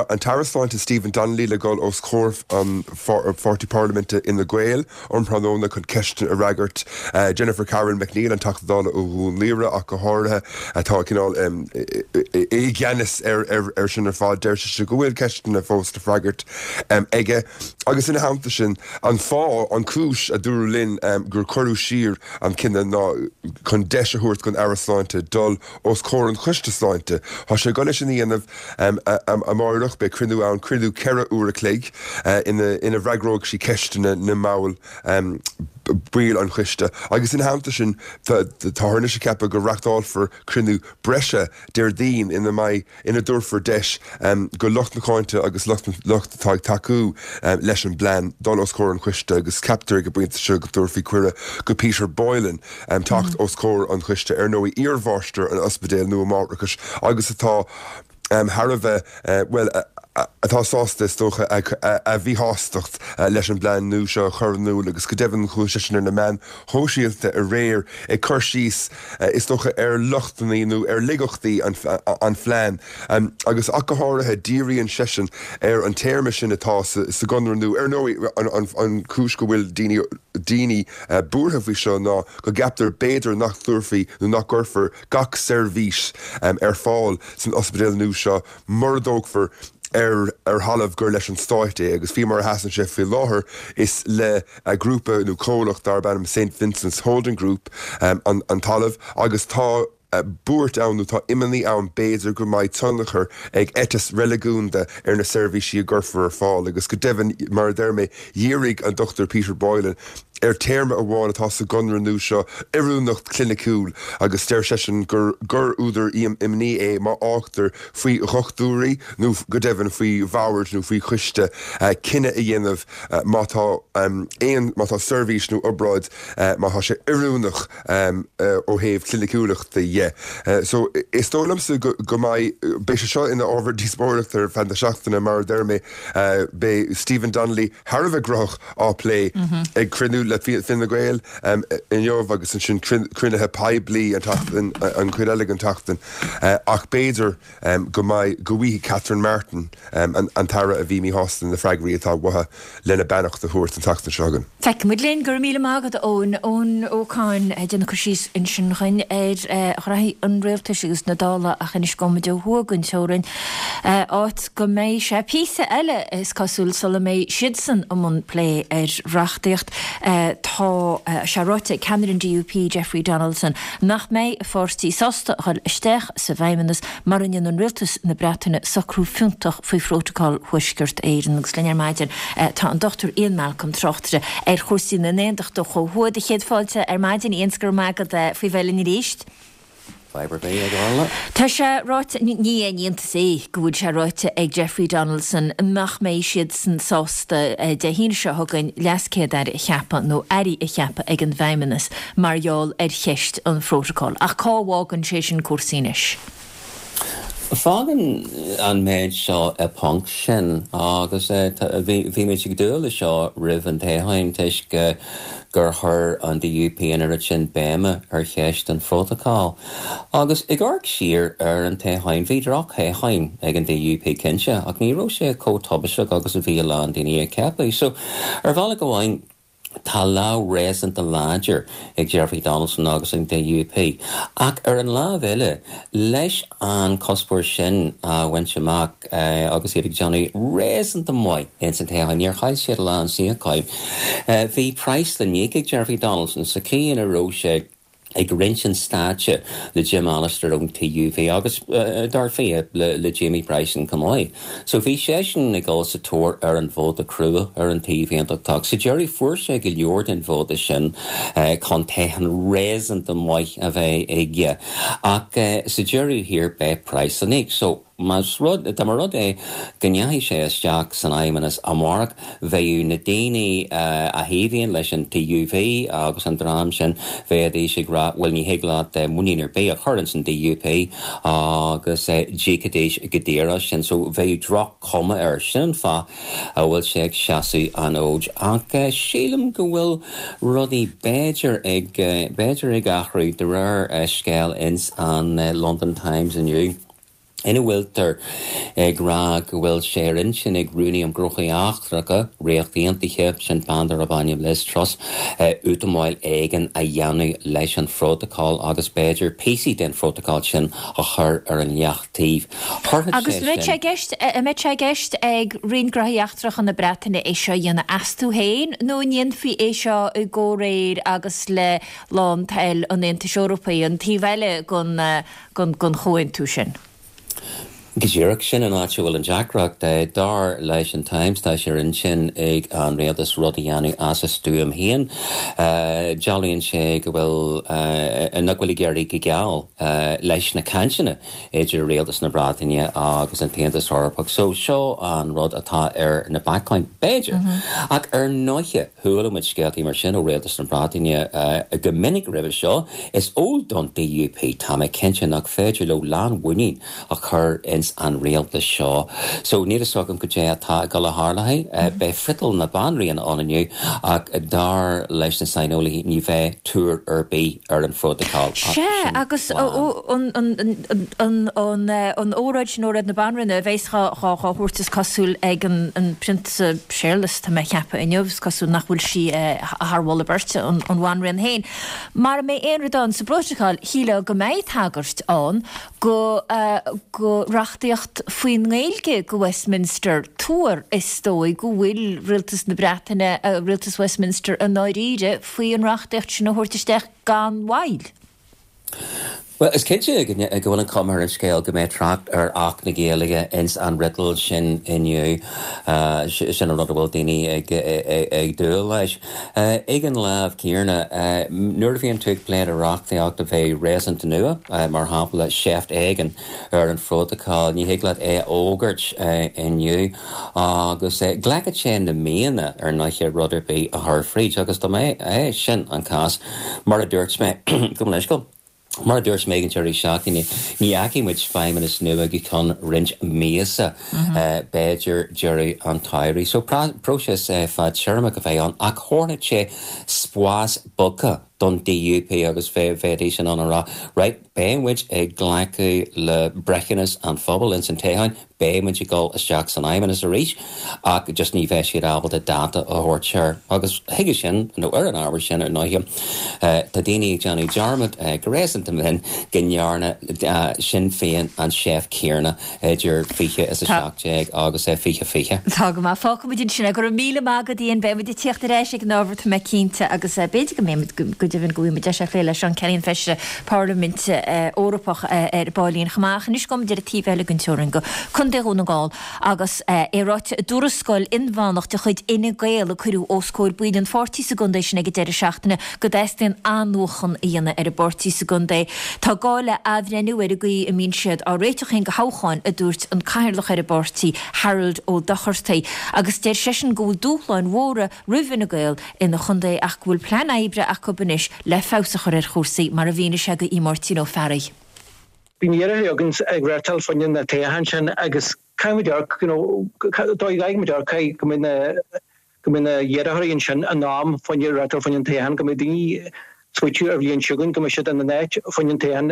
an tAire Sláinte Stephen Donnelly le dhul os comhair an pháirtí parlaiminte Fhine Gael um thráthnóna chun ceisteanna a fhreagairt. Jennifer Carroll MacNeill, an Teachta Dála ó Dhún Laoghaire ach go háirithe, atá cineál i gceannas ar sin ar fad. Deir sise go bhfuil ceisteanna fós le freagairt aige. Agus ina theannta sin, an fáth, an chúis, a dúradh linn gur cuireadh siar an cinneadh ná chun deis a thabhairt don Aire Sláinte dul os comhair an Choiste Sláinte. Tá sé ag dul é sin a dhéanamh amáireach. Beidh cruinniú ann, cruinniú 4 uair a chloig, ina bhfreagróidh sí ceisteanna na mball, baill an choiste. Agus ina theannta sin, táthar anois ag ceapadh go reachtálfar cruinniú breise Déardaoin ina mbeidh ina dtabharfar deis go lucht na cáinte agus lucht lucht atá ag tacú leis an bplean dul os comhair an choiste agus ceaptar ag an bpointe seo go dtabharfaí cuireadh go Peter Boylan teacht os comhair an choiste, ar ndóigh iarmháistir an ospidéil nua máithreachais agus atá thar a bheith, bhuel, atá sásta, is dócha, a mhíshástacht leis an bplean nua seo a chur in iúl agus go deimhin chuaigh seisean ar na meáin shóisialta aréir ag cur síos, is dócha, ar lochtanna nó ar laigeachtaí an phlean agus ach go háirithe díríonn seisean ar an téarma sin atá sa gconradh nua. Ar ndóigh, an chúis go bhfuil daoine daoine buartha faoi seo ná go gceaptar b'fhéidir nach dtabharfaí nó nach gcuirfear gach seirbhís ar fáil san ospidéal nua seo mura dtógfar ar ar thalamh gur leis an Stát é agus faoi mar a sheasann sé faoi láthair is le grúpa nó comhlacht darb ainm Saint Vincent's Holding Group an an talamh agus tá buairt ann nó tá imní ann b'fhéidir go mbeidh tionchar ag eiteas reiligiúnda ar na seirbhísí a gcuirfear ar fáil agus go deimhin mar a deir mé dhírigh an Dr Peter Boylan ar téarma amháin atá sa gconradh nua seo, oiriúnacht chliniciúil, agus deir seisean gur gur údar imní é má fhágtar faoi dhochtúirí nó go deimhin faoi bhord nó faoi choiste cinneadh a dhéanamh má tá aon má tá seirbhís nó obráid má tá sé oiriúnach ó thaobh cliniciúlachta dhe. So is dóigh liomsa go go mbeidh beidh sé seo ina ábhar díospóireachta ar feadh na seachtaine mar a deir mé beidh Stephen Donnelly thar a bheith graitheach á plé ag cruinniú le Fine Gael inniu agus ansin cruinnithe poiblí an tseachtain, an chuid eile den tseachtain ach b'fhéidir go mbeidh, go bhfaighidh Catherine Martin, an tAire a bhí míshásta na freagraí atá uaithi lena beannacht a thabhairt an tseachtain seo chugainn. Feicfidh muid linn. Go raibh míle maith agat, a Eoin. Eoin Ó Cadhain ag déanamh cur síos ansin dhuinn ar ghraithí an rialtais agus na Dála ach anois gabhfaidh muid ó thuaidh den teorainn, áit go mbeidh sé píosa eile, is cosúil, sula mbeidh siadsan i mbun plé ar reachtaíocht. Tá sé ráite ag ceannaire an DUP, Jeffrey Donaldson, nach mbeidh a pháirtí sásta a dhul isteach sa bhFeidhmeannas mura ndéanann rialtas na Breataine socrú fiúntach faoi Phrótacal Thuaisceart Éireann. Agus linn ar maidin tá an Dr Ian Malcolm, tráchtaire ar chúrsaí na nAontachtach ó thuaidh. Do chéad fáilte ar maidin, Ian, 's go raibh maith agat faoi bheith linn arís. Fadhb ar bith, a Dhorla. Tá sé ráite, ní aon iontas é go bhfuil sé ráite ag Jeffrey Donaldson nach mbeidh siadsan sásta Dé hAoine seo chugainn LeasChéad-Aire a cheapadh nó airí a cheapadh ag an bhFeidhmeannas mar gheall ar cheist an phrótacail. Ach cá bhfágann sé sin cúrsaí anois? Fágann an méid seo i bponc sinn agus bhí muid ag dúil le seo roimh an toghchán toisc gur chuir an DUP an oiread sin béime ar cheist an phrótacail. Agus ag amharc siar ar an toghchán, bhí droch-thoghchán ag an DUP cinnte ach ní raibh sé chomh tubaisteach agus a bhí a lán daoine ag ceapadh. So, ar bhealach amháin, Tá lámh réasúnta láidir ag Jeffrey Donaldson agus an DUP. Ach ar an lámh eile, leis an cuspóir sin a bhaint amach agus iad ag déanamh réasúnta maith ins an toghchán, níor chaill siad a lán suíocháin, bhí praghas le n-íoc ag Jeffrey Donaldson sa chaoi ina raibh sé ag roinnt an stáitse le Jim Allister ón TUV agus, dar fia, le Jamie Bryson chomh maith. So bhí seisean ag dul sa tóir ar an vóta crua ar an taobh aontachtach. Sa deireadh fuair sé go leor den vóta sin chun toghchán réasúnta maith a bheith aige. Ach sa deireadh thiar beidh praghas le n-íoc. So. Más rud, dá mba rud é go ndeachaigh sé isteach san Fheidhmeannas amárach, bheadh na daoine a thaobhaíonn leis an TUV agus an dream sin, bheidís ag rá, bhuel ní thig leat muinín ar bith a chur ins an DUP agus d'íocfaidís go daor as sin. So bheadh droch-chuma air. Sin an fáth a bhfuil sé ag seasamh an fhóid. Ach sílim go bhfuil rudaí b'fhéidir ag, b'fhéidir ag athrú de réir scéil ins an London Times inniu. ina bhfuiltear ag rá go bhfuil sé ar intinn ag Rúnaí um Ghnóthaí Eachtracha Ríocht Aontaithe, sin bean darb ainm Liz Truss, útamáil éigin a dhéanamh leis an phrótacal agus b'fhéidir píosaí den phrótacal sin a chur ar an leataobh. Thabharfadh Agus sé sin. an mbeidh sé i gceist ag Roinn Gnóthaí Eachtracha na Breataine é seo a dhéanamh astu féin nó an ndéanfaí é seo i gcomhréir agus le lántoil an Aontais Eorpaigh, an taobh eile den den chomhaontú sin. Go díreach, sin an áit a bhfuil an deacracht. Dar leis an Times, tá sé ar intinn ag an rialtas rud a dhéanamh as a stuaim féin. Dealraíonn sé go bhfuil, nach bhfuil ag éirí go geal leis na cainteanna idir rialtas na Breataine agus an tAontas Eorpach. So, seo an rud atá ar na bacáin, b'fhéidir. Ach ar ndóiche, Chuala muid scéaltaí mar sin ó Rialtas na Breataine go minic roimhe seo. Is eol don DUP, tá mé cinnte, nach féidir leo lánmhuinín a chur ins an rialtas seo. So níl fhios agam goidé atá ag dul a tharlú. Beidh friotal na Banríona ann inniu ach dar leis na saineolaithe ní bheidh tuar ar bith ar an phrótacal. Sea, agus an óráid sin, óráid na Banríona, a bheas dhá thabhairt is cosúil ag an Prionsa Séarlas, tá mé a cheapadh inniu, is cosúil nach bhfuil sí thar mholadh beirte, an Bhanríon féin. Mara mbeidh aon rud ann sa bprótacal, shílfeá go mbeidh tagairt ann go go reachtaíocht faoin nGaeilge go Westminster. Tuar, is dóigh, go bhfuil Rialtas na Breataine, Rialtas Westminster i ndáiríre faoi an reachtaíocht sin a thabhairt isteach gan mhoill. Bhuel, is cinnte go bhfuil an chuma ar an scéal go mbeidh trácht ar Acht na Gaeilge ins an fhriotal sin inniu. Sin an rud a bhfuil daoine ag dúil leis. Ag an lámh chéanna, nuair a bhíonn tú ag plé le reachtaíocht a bheidh réasúnta nua, mar shampla seift éigin ar an phrótacal, ní thig leat é a fhógairt inniu agus glacfaidh sé na míonna ar ndóiche rud ar bith a chur fríd agus dá mba é sin an cás, Mar a dúirt mé, gabh mo leithscéal, mar a dúirt mé ag an deireadh seachtaine, ní fheicfidh muid feidhmeannas nua go ceann roinnt míosa, b'fhéidir deireadh an tsamhraidh. So, próiseas fadtéarmach a bheidh ann, ach thabharfadh sé spás bogtha don DUP agus bheidís in ann a rá, right, beidh muid ag glacadh le breithiúnas an phobail ins an toghchán, Beidh muid ag dul isteach san Fheidhmeannas arís ach just ní bheidh siad ábalta dáta a thabhairt air. Agus chuige sin, nó ar an ábhar sin ar ndóighe, tá daoine ag déanamh dearmad go réasúnta mion go ndearna Sinn Féin an tseift chéanna idir 20 is 17 agus 2020. Tá go maith. Fágfaidh muid ansin é. Go raibh míle maith agat, Ian. Beidh muid ag tíocht ar ais ag an ábhar, tá mé cinnte, agus b'fhéidir go mbeidh muid, go deimhin go bhfaighidh muid deis é a phlé le Seán Kelly, an Feisire Parlaiminte Eorpach ar baillín chomh maith. Ach anois gabhfaidh muid ar an taobh eile den teorainn go Contae Dhún na nGall agus é ráite i dtuarascáil inmheánach de chuid Fhine Gael a cuireadh os comhair baill an pháirtí sa gcontae sin ag an deireadh seachtaine go dteastaíonn athnuachan a dhéanamh ar an bpáirtí sa gcontae. Tá gá le athbhreithniú ar an gcaoi a mbíonn siad á réiteach féin do thoghcháin, a dúirt an cathaoirleach ar an bpáirtí, Harold Ó Dochartaigh, agus deir seisean go bhfuil dúshláin mhóra roimh Fhine Gael ina chontae ach go bhfuil plean oibre acu anois le feabhas a chur ar chúrsaí, mar a mhínigh sé do Mháirtín Ó Fearraigh. Bíonn iarrthóirí againn ag reáchtáil fá choinne na toghcháin sin agus caithfidh muid amharc, you know, dóigh a gcaithfidh muid amharc, caithfidh go mbeidh na, go mbeidh na hiarrthóirí ansin in am fá choinne reáchtáil fá choinne an toghcháin, go mbeidh daoine smaoitiú ar bhliain seo chugainn, go mbeidh siad ina n-áit fá choinne an toghcháin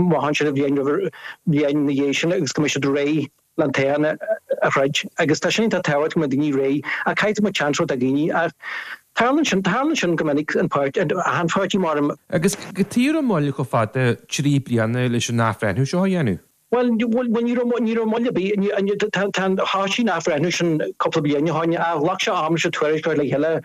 amach ansin an bhliain roimh, bhliain ina dhiaidh sin agus go mbeidh siad réidh. le an toghchán a throid agus tá sin iontach tábhachtach go mbeidh daoine réidh ach caithfidh muid seans a thabhairt do dhaoine ach tarlaíonn sin, tarlaíonn sin go minic an páirtí, achan pháirtí mar. Agus cad chuige a raibh moill chomh fada, 3 bliana, leis an athbhreithniú seo a dhéanamh? Bhuel, bhuel ní raibh, ní raibh moill ar bith, tá, tá an, thosaigh an athbhreithniú sin cúpla bliain ó shin ach ghlac sé am leis an tuairisc a chur le chéile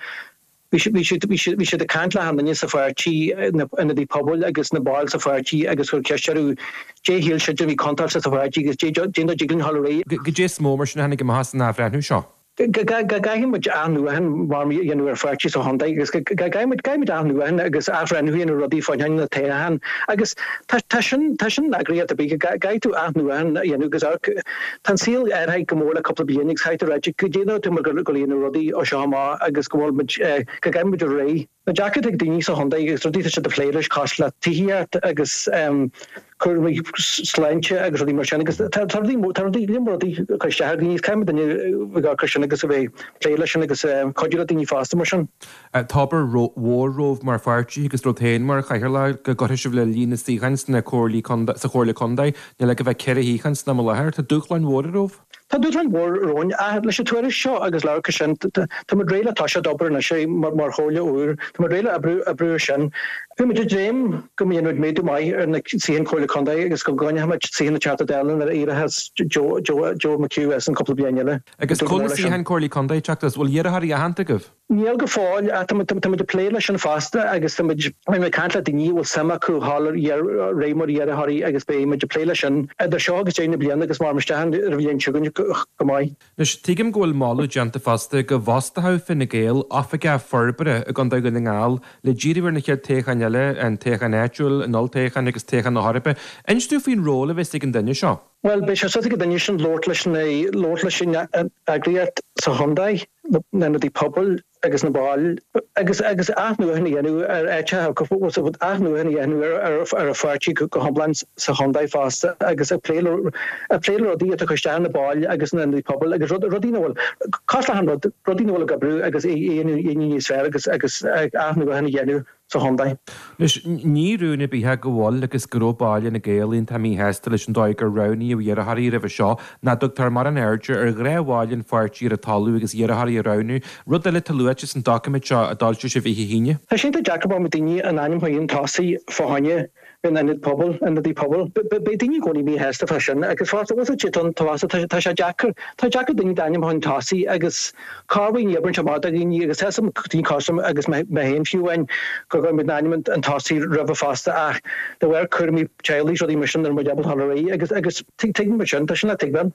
Bhí siad, bhí siad, bhí siad ag caint le achan duine sa pháirtí, na hionadaithe pobail agus na baill sa pháirtí agus chuir ceist orthu dé shíl siad a bhí contúirteach sa pháirtí agus dé, dén dóigh a dtig linn dhul ar aghaidh. Goidé is mó mar sin a tháinig amach as an athbhreithniú seo? Go gcaithfidh muid athnuachan mar a dhéanamh ar pháirtí sa chontae agus go gcaithfidh muid caithfidh muid athnuachan agus athbhreithniú a dhéanamh ar rudaí fá choinne na toghcháin agus tá tá sin tá sin in eagraíocht ar bith go gcaithfidh tú athnuachan a dhéanamh agus amharc tá an saol athraithe go mór le cúpla bliain agus caithfidh tú ráit go dtéann tú mar go go dhéanamh rudaí ó seo amach agus go bhfuil muid go gcaithfidh muid réidh. Na deacrachtaí ag daoine sa chontae agus rudaí atá siad ag plé leis cosúil le tithíocht agus cúraimí sláinte agus rudaí mar sin agus tá rudaí tá rudaí líon mór rudaí ag cur isteach ar dhaoine agus caithfidh duine a bheith ag cur sin agus a bheith ag plé leis sin agus cuidiú le daoine fosta mar sin. Tá obair mhór romhaibh mar pháirtí agus romhat féin mar chathaoirleach go gcuirfidh sibh le líon na suíochán sna comhairlí contae sa chomhairle contae. Níl ach a bheith 4 shuíochán san am i láthair. Tá dúshláin mhóra romhaibh. Tá dúshláin mhór romhainn ach leis an tuairisc seo agus labhairt sin, tá muid réidh le toiseacht obair anois mar chomhairle úr. Tá muid réidh le oibriú oibriú ar sin. Bhí muid ag dréim go ndéanfaidh muid méadú maith ar na suíocháin Comhairle Contae agus go gcoinneoidh muid suíocháin na Teachta Dála nuair a éireochas Joe Joe McHugh as in cúpla bliain eile. Agus cá bhfuil na suíocháin Comhairle Contae ag teacht as? Bhfuil iarrthóirí aitheanta agaibh? Níl go fóill, ach tá muid ag plé leis sin fosta agus tá muid ag caint le daoine a bhfuil suim acu dhul ar aghaidh mar iarrthóirí agus beidh muid ag plé leis sin idir seo agus deireadh na bliana agus mar isteach ar an bhliain seo chugainn go maith. Anois, tuigim go bhfuil moladh déanta fosta go bhfostódh Fine Gael oifigeach forbartha i gContae Dhún na nGall le díriú ar na chéad toghcháin eile, an toghchán áitiúil, an olltoghchán agus toghchán na hEorpa. Inis dúinn faoin ról a bheas ag an duine seo. Bhuel, beidh sé suas ag an duine sin labhairt leis na, labhairt leis an eagraíocht sa chontae, na hionadaí pobail agus na baill agus, agus athnuachan a dhéanamh ar áiteacha, athnuachan a dhéanamh ar, ar, ar an pháirtí go hiomlán sa chontae fosta agus ag plé le, ag plé le rudaí atá ag cur isteach ar na baill agus na hionadaí pobail agus rud, rudaí nach bhfuil, cosúil le achan rud, rudaí nach bhfuil ag oibriú agus é a dhéanamh níos fearr agus, agus athnuachan a dhéanamh. sa chontae. Anois, ní rún ar bith é go bhfuil agus go raibh baill Fhine Gael iontach míshásta leis an dóigh gur roghnaíodh iarrthóirí roimhe seo, nach dtugtar mórán airde ar ghnáthbhaill an pháirtí ar an talamh agus iarrthóirí a roghnú, rud eile atá luaite san doiciméad seo a d'fhoilsigh sibh oíche hAoine. Tá sé iontach deacair mar daoine a n-ainm a chur chun tosaigh fá choinne an ionad pobail, ionadaí pobail. Beidh daoine i gcónaí míshásta fá sin agus fosta, bhfuil a fhios agat, tá sé deacair, tá deacair daoine d'ainm a chur chun tosaigh agus Corruair ní oibríonn sé amach do dhaoine agus tá a fhios agam daoine cosúil liom agus mé féin fiú amháin go gcuir muid n-ainm chun tosaigh roimhe fosta ach de bharr cúraimí teaghlaigh is rudaí mar sin ní raibh muid ábalta dul ar aghaidh agus agus tuigeann muid sin, tá sin le tuigbheáil.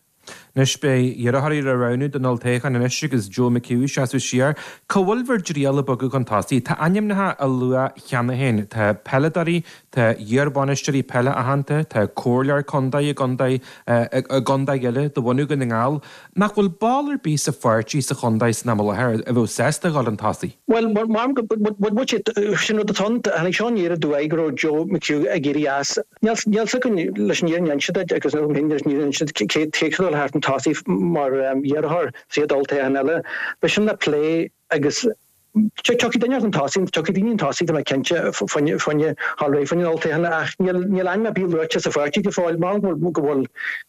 Anois beidh iarrthóirí le roghnú don olltoghchán anois agus Joe McHugh ag seasamh siar. Cá bhfuil bhur dtriall ag bogadh chun tosaigh? Tá ainmneacha á lua cheana féin. Tá peileadóirí, tá iarbhainisteoirí peile aitheanta, tá comhairleoir contae i gcontae i gcontae eile de bhunadh Dhún na nGall. Nach bhfuil ball ar bith sa pháirtí sa chontae san am i láthair a bheadh sásta a dhul chun tosaigh? Bhuel, mar go bhfuil sé, sin rud atá ann. Tháinig seo aniar aduaidh go raibh Joe McHugh ag éirí as. Níl a fhios againn leis an fhírinne a inse duit agus níl agam féin leis an fhírinne a inse duit cé cé dul thart chun tosaigh mar iarrthóir sa chéad olltoghchán eile. Beidh sin le plé agus Tiocfaidh duine chun tosaigh, tiocfaidh daoine chun tosaigh, tá mé cinnte, fá choinne dhul ar aghaidh fá choinne an olltoghcháin ach níl níl ainm ar bith luaite sa pháirtí go fóill. Measaim go bhfuil go bhfuil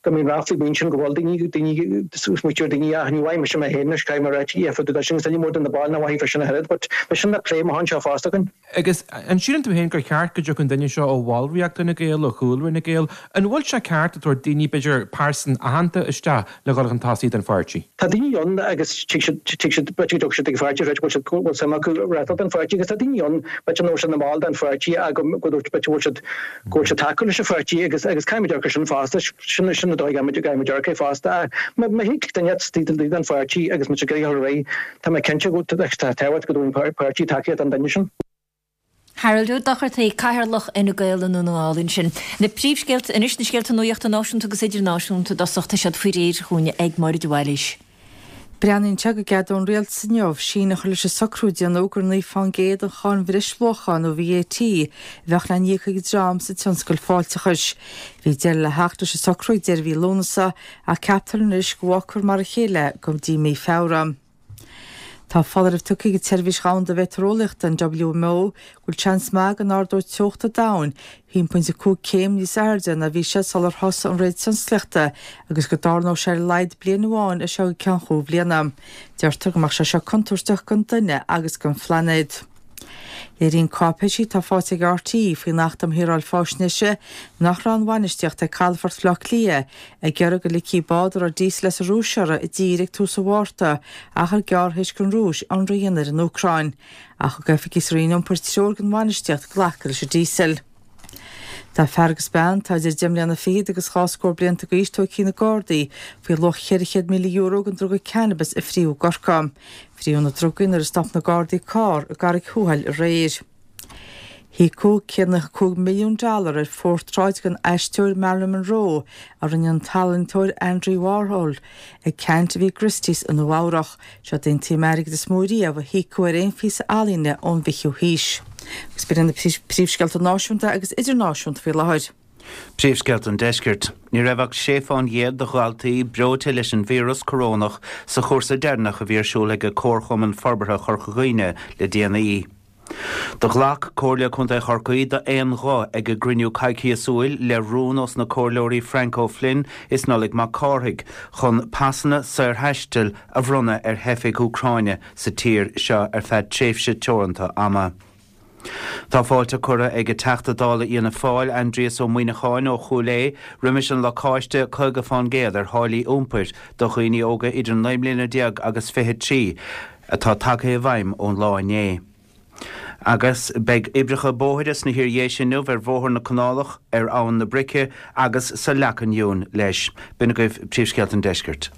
go mbíonn ráflaí faoin sin go bhfuil daoine daoine smaoitiú ar daoine ach ní bhfaighidh mise mé féin anois caithfidh mé a ráit yeah fá dtaobh de sin agus ní mór do na baill nach bhfaighidh fá sin a thuilleadh but beidh sin le plé amach anseo fosta againn. Agus an síleann tú féin gur cheart go dtiocfadh an duine seo ó bhallraíocht Fhine Gael, ó chúlra Fhine Gael? An bhfuil sé ceart ag tabhairt daoine b'fhéidir pearsan aitheanta isteach le dhul chun tosaigh don pháirtí. Tá daoine ann agus tig siad, tig siad, b'fhéidir go dtiocfaidh siad ag an pháirtí, b'fhéidir go bhfuil siad, go bhfuil suim acu reáchtáil don pháirtí agus tá daoine ann, b'fhéidir nach bhfuil siad ina mball den pháirtí ach go, go bhfuil, b'fhéidir go bhfuil siad, go bhfuil siad tacúil leis an pháirtí agus, agus caithfidh muid amharc ar sin fosta, sin, sin an dóigh a gcaithfidh muid, caithfidh muid amharc air fosta. Ach má, má thig duine taobh den pháirtí agus muid ag iarraidh a dhul ar aghaidh, tá mé cinnte go, tá tábhacht go dtabharfaidh an páirtí tacaíocht don duine sin. Harold Ó Dochartaigh, Cathaoirleach Fhine Gael i nDún na nGall ansin. Na príomhscéalta anois, na scéalta nuachta náisiúnta agus idirnáisiúnta i dtosach, tá siad faoi réir chugainn ag Máire de Bhailís. Breathnaíonn sé go gceadóidh an Rialtas inniu síneadh a chur leis an socrú a déanadh gur 9 fán gcéad den cháin bhreisluacha, nó VAT, a bheadh le n-íoc ag an dream sa tionscal fáilteachais. Bhí deireadh le theacht leis an socrú ag deireadh mhí Lúnasa ach ceaptar anois go bhfágfar mar a chéile go dtí mí Feabhra. Tá foláireamh tugtha ag an tSeirbhís Dhomhanda Mheitéareolaíochta, an WMO, go bhfuil seans maith go n-ardóidh teocht an domhain 1.5 céim níos airde ná bhí sé sular thosaigh an ré tionsclaíochta agus go dtarlódh sé ar a laghad bliain amháin as seo go ceann chúig bhliana. Deirtear go mbeadh sé seo contúirteach don duine agus don phlainéad. Léiríonn cáipéisí atá faighte ag RTÉ faoin Acht um Shaoráil Faisnéise nach raibh an bhainistíocht ag Calafort Bhaile Átha Cliath ag iarraidh go ligfí bád a raibh díosal as an Rúis orthu i dtír ag tús an Mhárta, achar gearr théis don Rúis ionradh a dhéanamh ar an Úcráin. Ach thug oifigigh sa Roinn Iompair treoir don bhainistíocht glacadh leis an díosal. Tá fear agus bean atá idir deich mbliana fichead agus dhá scór blianta d'aois tógtha ag na Gardaí faoi luach €400,000 den druga cannabis a fríodh i gCorcaigh. Fríodh na drugaí nuair a stop na Gardaí carr i gCarraig Thuathail aréir. Híocadh 195 milliún dollar ar phortráid den aisteoir Marilyn Monroe a rinne an t-ealaíontóir Andy Warhol ag ceant a bhí i gChristie's i Nua Eabhrach. Seo é an tsuim airgid is mó riamh a híocadh ar aon phíosa ealaíne ón bhfichiú haois. Agus b'in iad na príomhscéalta náisiúnta agus idirnáisiúnta faoi láthair. Príomhscéalta an Deiscirt. Ní raibh ach sé fán gcéad de dhaltaí breoite leis an víreas corónach sa chúrsa deireanach a bhí ar siúl ag Comharchumann Forbartha Chorca Dhuibhne le déanaí. Do ghlac Comhairle Contae Chorcaí d'aon ghuth ag a gcruinniú coicíosúil le rún ós na Comhairleoirí Frank O'Flynn is Nollaig Mac Cárthaigh chun pasanna saorthaistil a bhronnadh ar theifigh Úcráine sa tír seo ar feadh tréimhse teoranta ama. Tá fáilte curtha ag Teachta Dála Fhianna Fáil, Aindrias Ó Muimhneacháin ó Chúil Aodha, roimis an lacáiste 50 fán gcéad ar tháillí iompair do dhaoine óga idir 19 mbliana agus 23 atá tagtha i bhfeidhm ón lá inné. Agus beidh oibreacha bóthair sna hIar-Dhéise inniu ar Bhóthar na Canálach, ar Abhainn na Brice agus sa Leacain Fhionn leis. B'in agaibh Príomhscéalta an Deiscirt.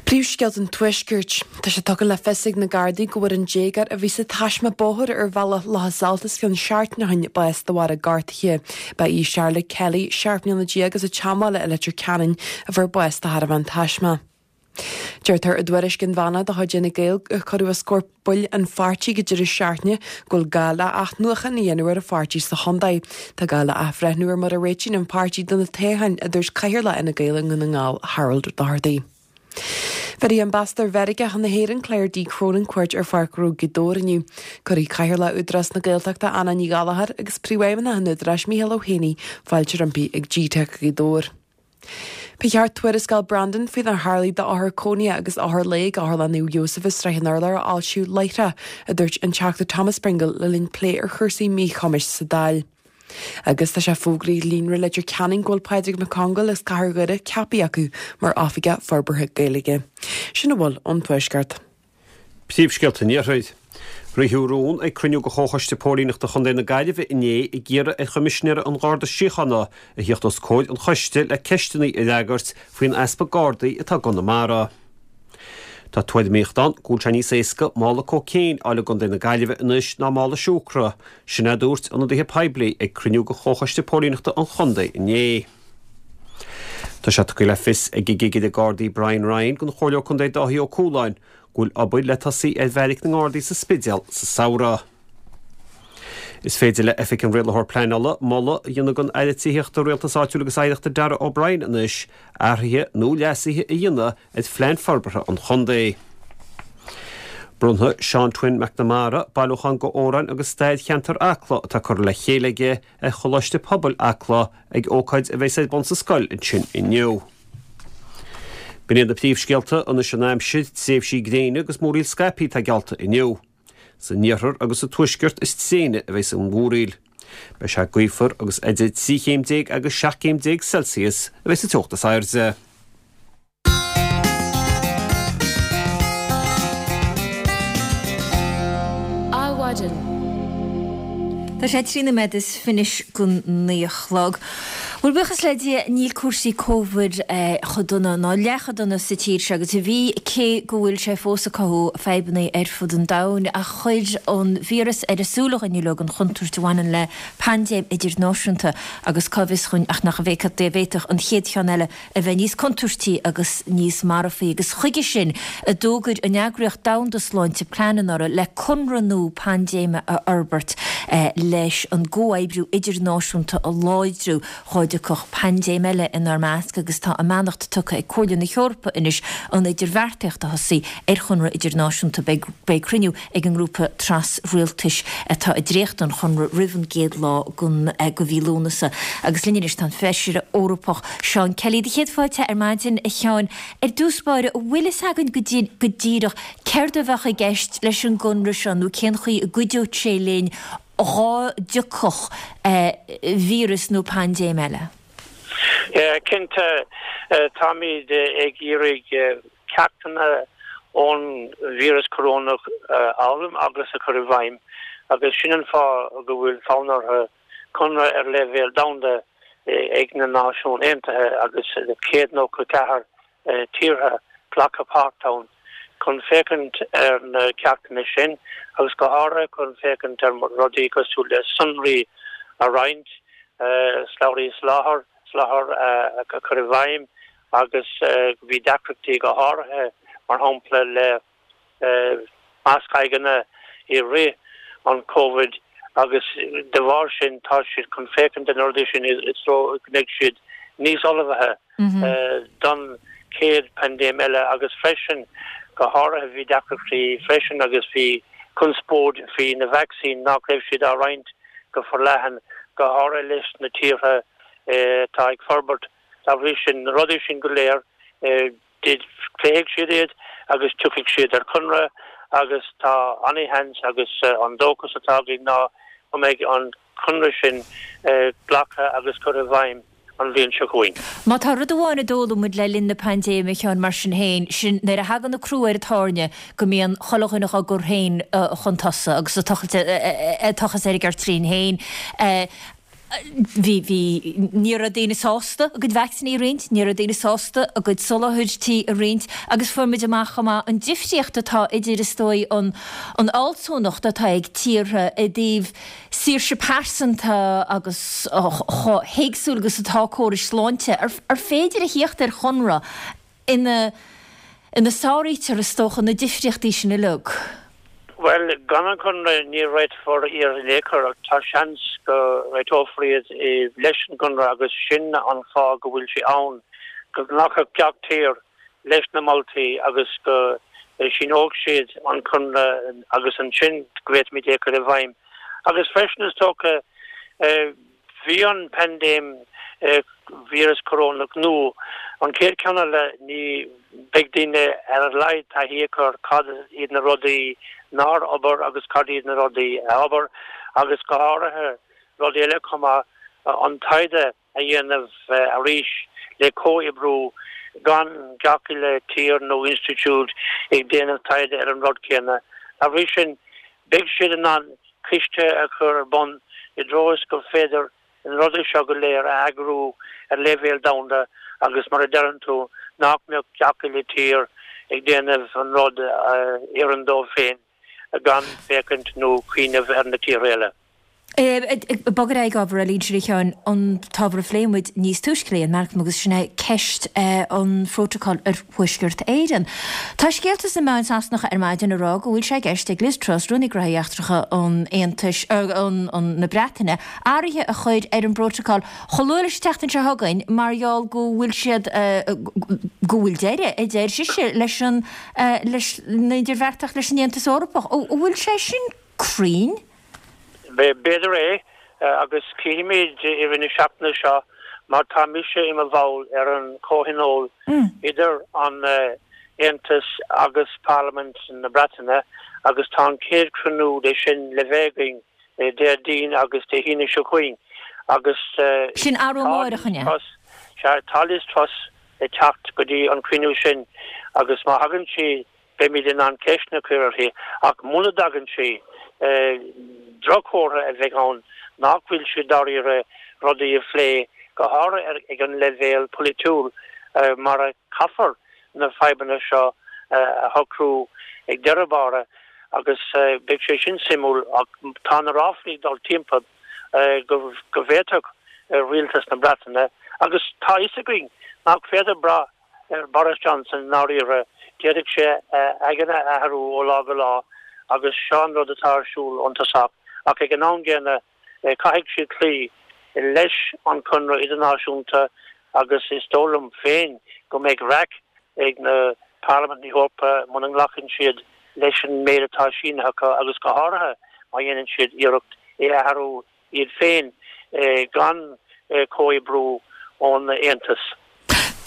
Príomhscéalta an Tuaiscirt. Tá sé tugtha le fios ag na Gardaí go bhfuair an déagóir a bhí sa taisme bóthair ar bhealach Locha Salt os cionn seachtain ó shin bás de bharr a gortuithe. Ba í Charlotte Kelly, 17 mbliana as an tSeanbhaile i Leitir Ceanainn, a fuair bás de thairbhe an taisme. Deirtear i dtuairisc inmheánach de chuid Fhine Gael a cuireadh os comhair baill an pháirtí ag an deireadh seachtaine go bhfuil gá le athnuachan a dhéanamh ar an pháirtí sa chontae. Tá gá le athbhreithniú ar mar a réitíonn an páirtí do na toghcháin, a dúirt Cathaoirleach Fhine Gael i nDún na nGall, Harold Doherty. Bhéarfaidh Ambasadóir Mheiriceá chun na hÉireann, Claire D. Cronin cuairt ar Pháirc Ghnó Ghaoth Dobhair inniu. Cuirfidh Cathaoirleach Údarás na Gaeltachta, Anna Ní Ghallchóir agus Príomhfheidhmeannach an Údaráis, Mícheál Ó hÉanaí, fáilte roimpi ag GTeic Ghaoth Dobhair. Ba cheart tuarascáil Brandon faoinar tharlaigh d'othair cónaithe agus othair lae ag Otharlann Naomh Iósaf i Srath an Urláir a fhoilsiú láithreach, a dúirt an Teachta Thomas Pringle le linn plé ar chúrsaí míchumais sa Dáil. Agus tá sé fógraithe ag Líonra Leitir Ceanainn go bhfuil Pádraig Mac Congáil as Cathair Dhoire ceaptha acu mar Oifigeach Forbartha Gaeilge. Sin a bhfuil ón Tuaisceart. Príomhscéalta an Iarthair. Ritheadh rún ag cruinniú de Chomhchoiste Póilíneachta Chontae na Gaillimhe inné ag iarraidh ar Choimisinéara an Gharda Síochána a thíocht os comhair an choiste le ceisteanna a fhreagairt faoin easpa Gardaí atá i gConamara. Tá tuairimíocht ann go bhfuil sé níos éasca mála cóicéin a fháil i gContae na Gaillimhe anois ná mála siúcra, sin a dúirt ionadaithe poiblí ag cruinniú de Chomhchoiste Póilíneachta an chontae inné. Tá sé tugtha le fios ag an gCigire Gardaí Brian Ryan don Chomhairleoir Contae Dáithí Ó Cualáin go bhfuil obair le tosaí ar bheairic na nGardaí sa Spidéal sa samhradh. Is féidir le Oifig an Rialaitheoir Pleanála moladh a dhéanamh don Aire Tithíochta, Rialtais Áitiúil agus Oidhreachta Darragh O'Brien anois athruithe nó leasuithe a dhéanamh ar phlean forbartha an chontae. Bronnfaidh Seán Twin McNamara bailiúchán d'amhráin agus stair cheantar Acla atá curtha le chéile aige ar Choláiste Pobail Acla ag ócáid a bheas ar bun sa scoil ansin inniu. B'in iad na príomhscéalta, anois an aimsir, tréimhsí gréine agus múraíl scaipthe atá geallta inniu. San iarthar agus sa tuaisceart is tréine a bheas an mhúraíl. Beidh sé gaofar agus idir 13 chéim agus 17 céim Celsius a bheas an teocht is airde. Adhmhaidin. Tá sé 13 nóiméad is gon 9 a chlog. Bhuel, buíochas le Dia, níl cúrsaí Covid chomh dona, ná leath chomh dona sa tír seo agus a bhí, cé go bhfuil sé fós ag cothú fadhbanna ar fud an domhain. Ach chuir an víreas ar a súile dhuinn uilig an chontúirt a bhaineann le paindéim idirnáisiúnta agus cá bhfios dhuinn ach nach bhféadfadh an chéad cheann eile a bheith níos contúirtí agus níos marfaí, agus chuige sin a d'fhógair an Eagraíocht Domhanda Sláinte plean anuraidh le conradh nua paindéime a fhorbairt leis an gcomhoibriú idirnáisiúnta a láidriú dhá dtiocfadh paindéim eile inár measc agus tá a mbeannacht tugtha ag Comhairle na hEorpa anois an idirbheartaíocht a thosaí ar chonradh idirnáisiúnta. Beidh cruinniú ag an ngrúpa tras-rialtais atá ag dréachtú an chonradh roimh an gcéad lá den mhí Lúnasa. Agus linn anois tá an Feisire Eorpach Seán Kelly. Do chéad fáilte ar maidin, a Sheáin. Ar dtús báire, an bhfuil fhios againn go díreach céard a bheadh i gceist leis an gconradh seo nó cén chaoi a gcuideodh sé linn dhá dtiocfadh víreas nó paindéim eile? Cinnte, táimid ag iarraidh ceachtanna ón víreas corónach a fhoghlaim agus a chur i bhfeidhm agus sin an fáth go bhfuil fonn orthu. Conradh ar leibhéal domhanda ag na Náisiúin Aontaithe agus 194 tíortha glactha páirt ann chun féachaint ar na ceachtanna sin agus go háirithe chun féachaint ar rudaí cosúil le sonraí a roinnt, slabhraí soláthair, soláthair a chur i bhfeidhm agus bhí deacrachtaí go háirithe mar shampla le masc aghaidheanna i rith an Covid agus de bharr sin tá siad chun féachaint ar na rudaí sin i dtreo go mbeidh siad níos ullmhaithe don chéad paindéim eile agus freisin go háirithe bhí deacrachtaí freisin agus bhí conspóid faoi na vacsaín nach raibh siad á roinnt go forleathan go háirithe leis na tíortha atá ag forbairt. Dá bhrí sin, na rudaí sin go léir, pléifidh siad iad agus tiocfaidh siad ar chonradh agus tá ana-sheans agus an dóchas atá againn ná go mbeidh an conradh sin glactha agus curtha i bhfeidhm an bhliain seo chugainn. Má tá rud amháin a d'fhoghlaim muid le linn na paindéime, a Sheáin, mar sin féin, sin nuair a thagann an crú ar an tairne go mbíonn chuile dhuine dhá gcur féin chun tosaigh agus ag tochas ar a gceirtlín féin. Bhí, bhí, ní raibh daoine sásta a gcuid vacsaíní a roinnt, ní raibh daoine sásta a gcuid soláthairtí a roinnt agus fuair muid amach chomh maith an difríocht atá idir, is dóigh, an, an fhealsúnacht atá ag tíortha i dtaobh saoirse pearsanta agus chomh héagsúil agus atá córais sláinte. Ar, ar féidir a thíocht ar chonradh ina ina sáraítear, is dócha, na difríochtaí sin uilig. Bhuel, gan an Conradh ní réiteofar iad in aon chor ach tá seans go réiteofar iad leis an gConradh agus sin an fáth go bhfuil sé ann, go nglacfadh gach tír leis na moltaí agus go síneodh siad an Conradh agus ansin go bhféadfaimid é a chur i bhfeidhm. Agus freisin is dócha, Bhí an paindéim víreas corónach nua, an chéad cheann eile, ní beidh daoine ar a laghad taithí acu ar cad iad na rudaí nár obair agus cad iad na rudaí a obair agus go háirithe rudaí eile chomh maith, an taighde a dhéanamh arís le comhoibriú gan gach uile tír nó institiúid ag déanamh taighde ar an rud céanna. Dá bhrí sin, beidh siad in ann ciste a chur ar bun i dtreo is gur féidir na rudaí seo go léir a eagrú ar leibhéal domhanda agus mar a deireann tú nach mbeadh gach uile tír ag déanamh an rud a oireann dóibh féin gan féachaint nó cuimhneamh ar na tíortha eile. Ag bogadh ar aghaidh ag ábhar eile ansin a Sheáin, an t-ábhar a phléigh muid níos túisce le Ian Malcolm agus sin é ceist an phrótacail ar Thuaisceart Éireann. Tá scéalta sna meáin Sasanacha ar maidin ag rá go bhfuil sé i gceist ag Liz Truss, Rúnaí Gnóthaí Eachtracha an Aontais, na Breataine, athruithe a chur ar an bprótacal chomh luath leis an tseachtain seo chugainn mar gheall go bhfuil siad, go bhfuil deireadh, a deir sise, leis an, leis na idirbheartaíocht leis an Aontas Eorpach. An bhfuil sé sin cruinn? B'fhéidir é, agus cífimid i rith na seachtaine seo mar tá mise i mo bhall ar an chomhthionól idir an Aontas agus Parlaimint na Breataine agus tá an chéad chruinniú de sin le bheith againn Déardaoin agus Dé hAoine seo chugainn agus Sin arú amárach, an ea? Sea, tá Liz Truss ag teacht go dtí an cruinniú sin agus má thagann sí Beimid in ann ceisteanna a chur uirthi, ach muna dtagann sí, droch-chomhartha a bheidh ann nach bhfuil siad dáiríre rudaí a phlé, go háirithe ag an leibhéal polaitiúil, mar a caithfear na fadhbanna seo a shocrú ag deireadh báire agus beidh sé sin suimiúil ach tá na ráflaí ag dul timpeall go bhféadfadh rialtas na Breataine, agus tá a fhios againn nach féidir brath ar Boris Johnson i ndáiríre, d'fhéadfadh sé a aigne a athrú ó lá go lá agus seo an rud atá ar siúl ón tosach ach ag an am gcéanna caithfidh siad cloí leis an chonradh idirnáisiúnta agus is dóigh liom féin go mbeidh raic ag na Parlaimint na hEorpa muna nglacann siad leis an méid atá sínithe acu agus go háirithe má dhéanann siad iarracht é a athrú iad féin gan comhoibriú ón Aontas.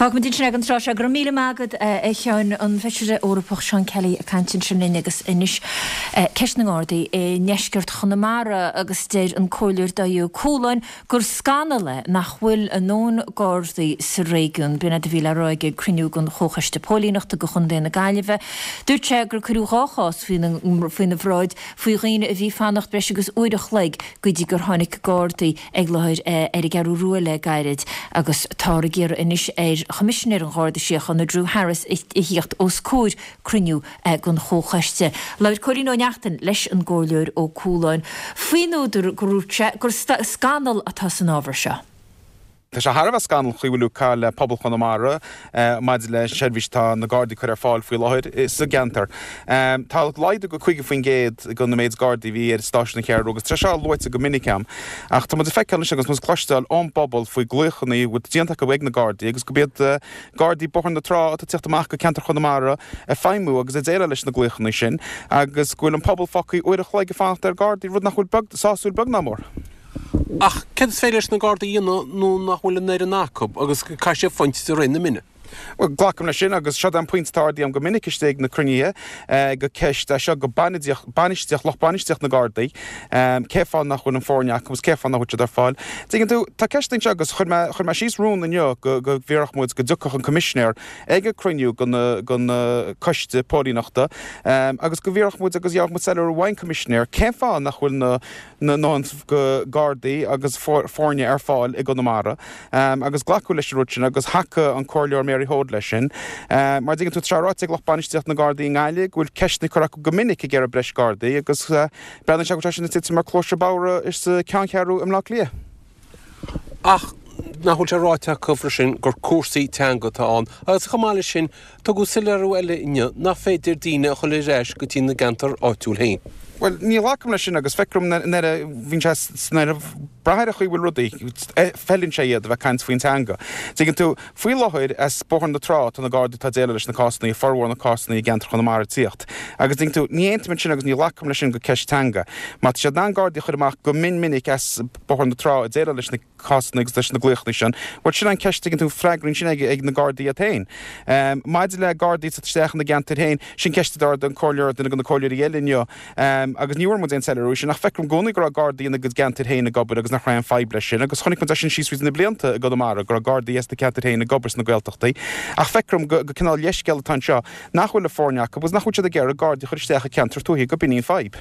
Fágfaimid ansin é don tráth seo. Go raibh míle maith agat, a Sheáin. An Feisire Eorpach Seán Kelly ag caint ansin linn agus anois ceist na nGardaí i ndeisceart Chonamara agus deir an Comhairleoir Dáithí Ó Cualáin gur scannal é nach bhfuil a ndóthain Gardaí sa réigiún. B'in é a bhí le rá aige ag cruinniú den Chomhchoiste Póilíneachta do Chontae na Gaillimhe. Dúirt sé gur cuireadh 2 chás faoina bhráid faoi dhaoine a bhí ag fanacht breis agus uair a chloig go dtí gur tháinig Gardaí ag láthair ar an gCeathrú Rua le gairid agus táthar ag iarraidh anois ar Choimisinéir an Gharda Síochána Drew Harris a thíocht os comhair cruinniú den Chomhchoiste. Labhair Cóilín Ó Neachtain leis an gComhairleoir Ó Cualáin faoin údar gur dhúirt sé gur scannal atá san ábhar seo. Tá sé thar a bheith scannalach an chaoi a bhfuil ag caitheamh le pobal Chonamara maidir le seirbhís atá na Gardaí ag cur ar fáil faoi láthair sa gceantar. Tá laghdú go 50% de na méid Gardaí a bhí ar stáisiún na Ceathrú Rua agus tá sé seo luaite go minic agam ach tá muid ag feiceáil anois agus muid ag cloisteáil ón bpobal faoi glaochanna a bhfuil déanta acu ag na Gardaí agus gurb iad Gardaí Bóthar na Trá atá ag tíocht amach go ceantar Chonamara ag feidhmiú agus ag déileáil leis na glaochanna sin agus go bhfuil an pobal fágtha uair a chloig ag fanacht ar Ghardaí, rud nach bhfuil beag, sásúil beag ná mór. Ach céard is féidir leis na Gardaí a dhéanamh nuair nach bhfuil an fhoireann acu agus caithfidh siad fanacht de réir na mine? Bhuel, glacaim leis sin agus seo é an pointe atá ardaithe agam go minic istigh ag na cruinnithe gur ceist é seo go bainistíocht, lucht bainistíocht na Gardaí, cé fáth nach bhfuil an foirne acu agus cé fáth nach bhfuil siad ar fáil. Tuigeann tú, tá ceist anseo agus chuir mé, chuir mé síos rún inniu go, go bhfiarfadh muid go dtiocfadh an Coimisinéir ag an cruinniú den, den coiste póilíneachta agus go bhfiarfadh muid agus gheobhadh muid soiléiriú ón Coimisinéir cén fáth nach bhfuil na, na ndóthain Gardaí agus foirne ar fáil i gConamara agus glacadh leis an rud sin agus thacaigh an Comhairleoir Mary Hoade leis sin. Mar a dtuigeann tú, tá sé ráite ag lucht bainistíochta na Gardaí i nGaillimh go bhfuil ceisteanna curtha acu go minic ag iarraidh breis Gardaí agus breathnaíonn sé go bhfuil sé sin ag titim ar cluaise bodhar sa ceanncheathrú i mBleá Cliath. Ach nach bhfuil sé ráite acu freisin gur cúrsaí teanga atá ann agus chomh maith leis sin tugadh soiléiriú eile inniu nach féidir daoine a chur ar ais go dtí na gceantar áitiúil féin. Bhuel, ní ghlacaim leis sin agus feictear dom nuair a bhíonn sé nuair a brath ar an chaoi a bhfuil rudaí, feileann sé iad a bheith ag caint faoin teanga. Tuigeann tú, faoi láthair as Bóthar na Trá tá na Gardaí atá ag déileáil leis na cásanna, formhór na cásanna i gceantar Chonamara ag tíocht. Agus tuigeann tú, ní aontaím ansin agus ní ghlacaim leis sin gur ceist teanga. Má tá siad in ann Gardaí a chur amach go mion minic as Bóthar na Trá ag déileáil leis na cásanna agus leis na glaochanna sin. Bhuel, sin an ceist, tuigeann tú, freagraíonn sin ag na Gardaí iad féin. Maidir le Gardaí ag teacht isteach ina gceantair féin, sin ceist a d'ardaigh an comhairleoir, duine de na comhairleoirí eile inniu, agus ní bhfuair muid aon soiléiriú sin, ach feictear dom i gcónaí go raibh Gardaí ina gcuid gceantair féin ag obair agus nach raibh aon fadhb leis sin, agus chonaic muid é sin síos fríd na blianta i gConamara, go raibh Gardaí as na ceantair féin ag obair sna Gaeltachtaí. Ach feictear dom go cineál leithscéal atá anseo nach bhfuil an foirne acu agus nach bhfuil siad ag iarraidh Gardaí a chur isteach i ceantair tuaithe, go b'in í an fadhb.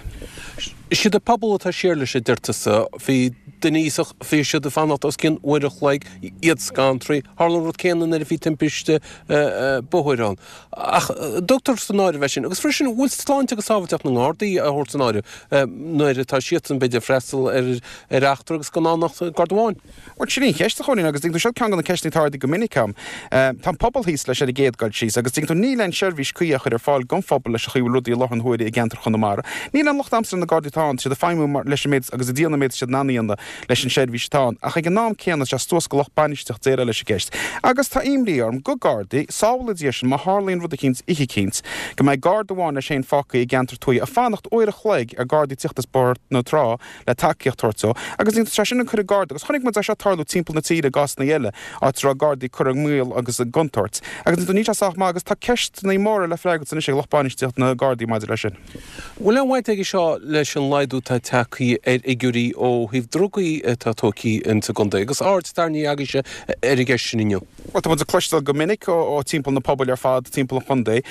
Is iad an pobal atá siar leis, a deir tusa. Bhí duine aosach, bhí siad ag fanacht os cionn uair a chloig, iad scanraithe. Tharla an rud céanna nuair a bhí timpiste bóthair ann. Ach tugtar san áireamh é sin. Agus freisin, bhfuil sláinte agus sábháilteacht na nGardaí á thabhairt san áireamh nuair atá siadsan, b'fhéidir, ag freastal ar eachtra agus gan ann ach Garda amháin? Bhuel, sin í an cheist, a Chóilín, agus tuigeann tú, seo ceann de na ceisteanna atá ardaithe go minic agam. Tá an pobal thíos leis ar an gcéad dul síos, agus tuigeann tú, níl aon seirbhís cuí á chur ar fáil don phobal leis an chaoi a bhfuil rudaí i láthair na huaire i gceantar Chonamara. Níl aon locht a'msa ar na Gardaí atá ann, tá siad ag feidhmiú mar, leis an méid, agus ag déanamh an méid atá siad in ann a dhéanamh leis an seirbhís atá ann, ach ag an am céanna, tá sé suas go lucht bainistíocht déileáil leis an gceist. Agus tá imní orm go Gardaí, sábhála Dia sinn, má tharlaíonn rud eicínt, oíche eicínt, go mbeidh Garda amháin leis féin fágtha i gceantar tuaithe ag fanacht uair a chloig ar Gardaí tíocht as Bóthar na Trá le tacaíocht a thabhairt dó, agus tá sé sin ag cur an Garda, agus chonaic muid é seo tarlú timpeall na tíre i gcásanna eile, áit a raibh Gardaí curtha i mbaol agus i gcontúirt. Agus níl sé sách maith, agus tá ceisteanna móra le freagairt anois ag lucht bainistíocht na Gardaí maidir leis sin. Bhfuil aon bhaint aige seo leis an laghdú atá tagtha ar fhigiúirí ó thaobh drugaí atá tógtha insa gcontae, agus aird tarraingthe agaibhse ar an gceist sin inniu? Bhuel, tá muid ag cloisteáil go minic ó timpeall na pobail ar fad timpeall an chontae.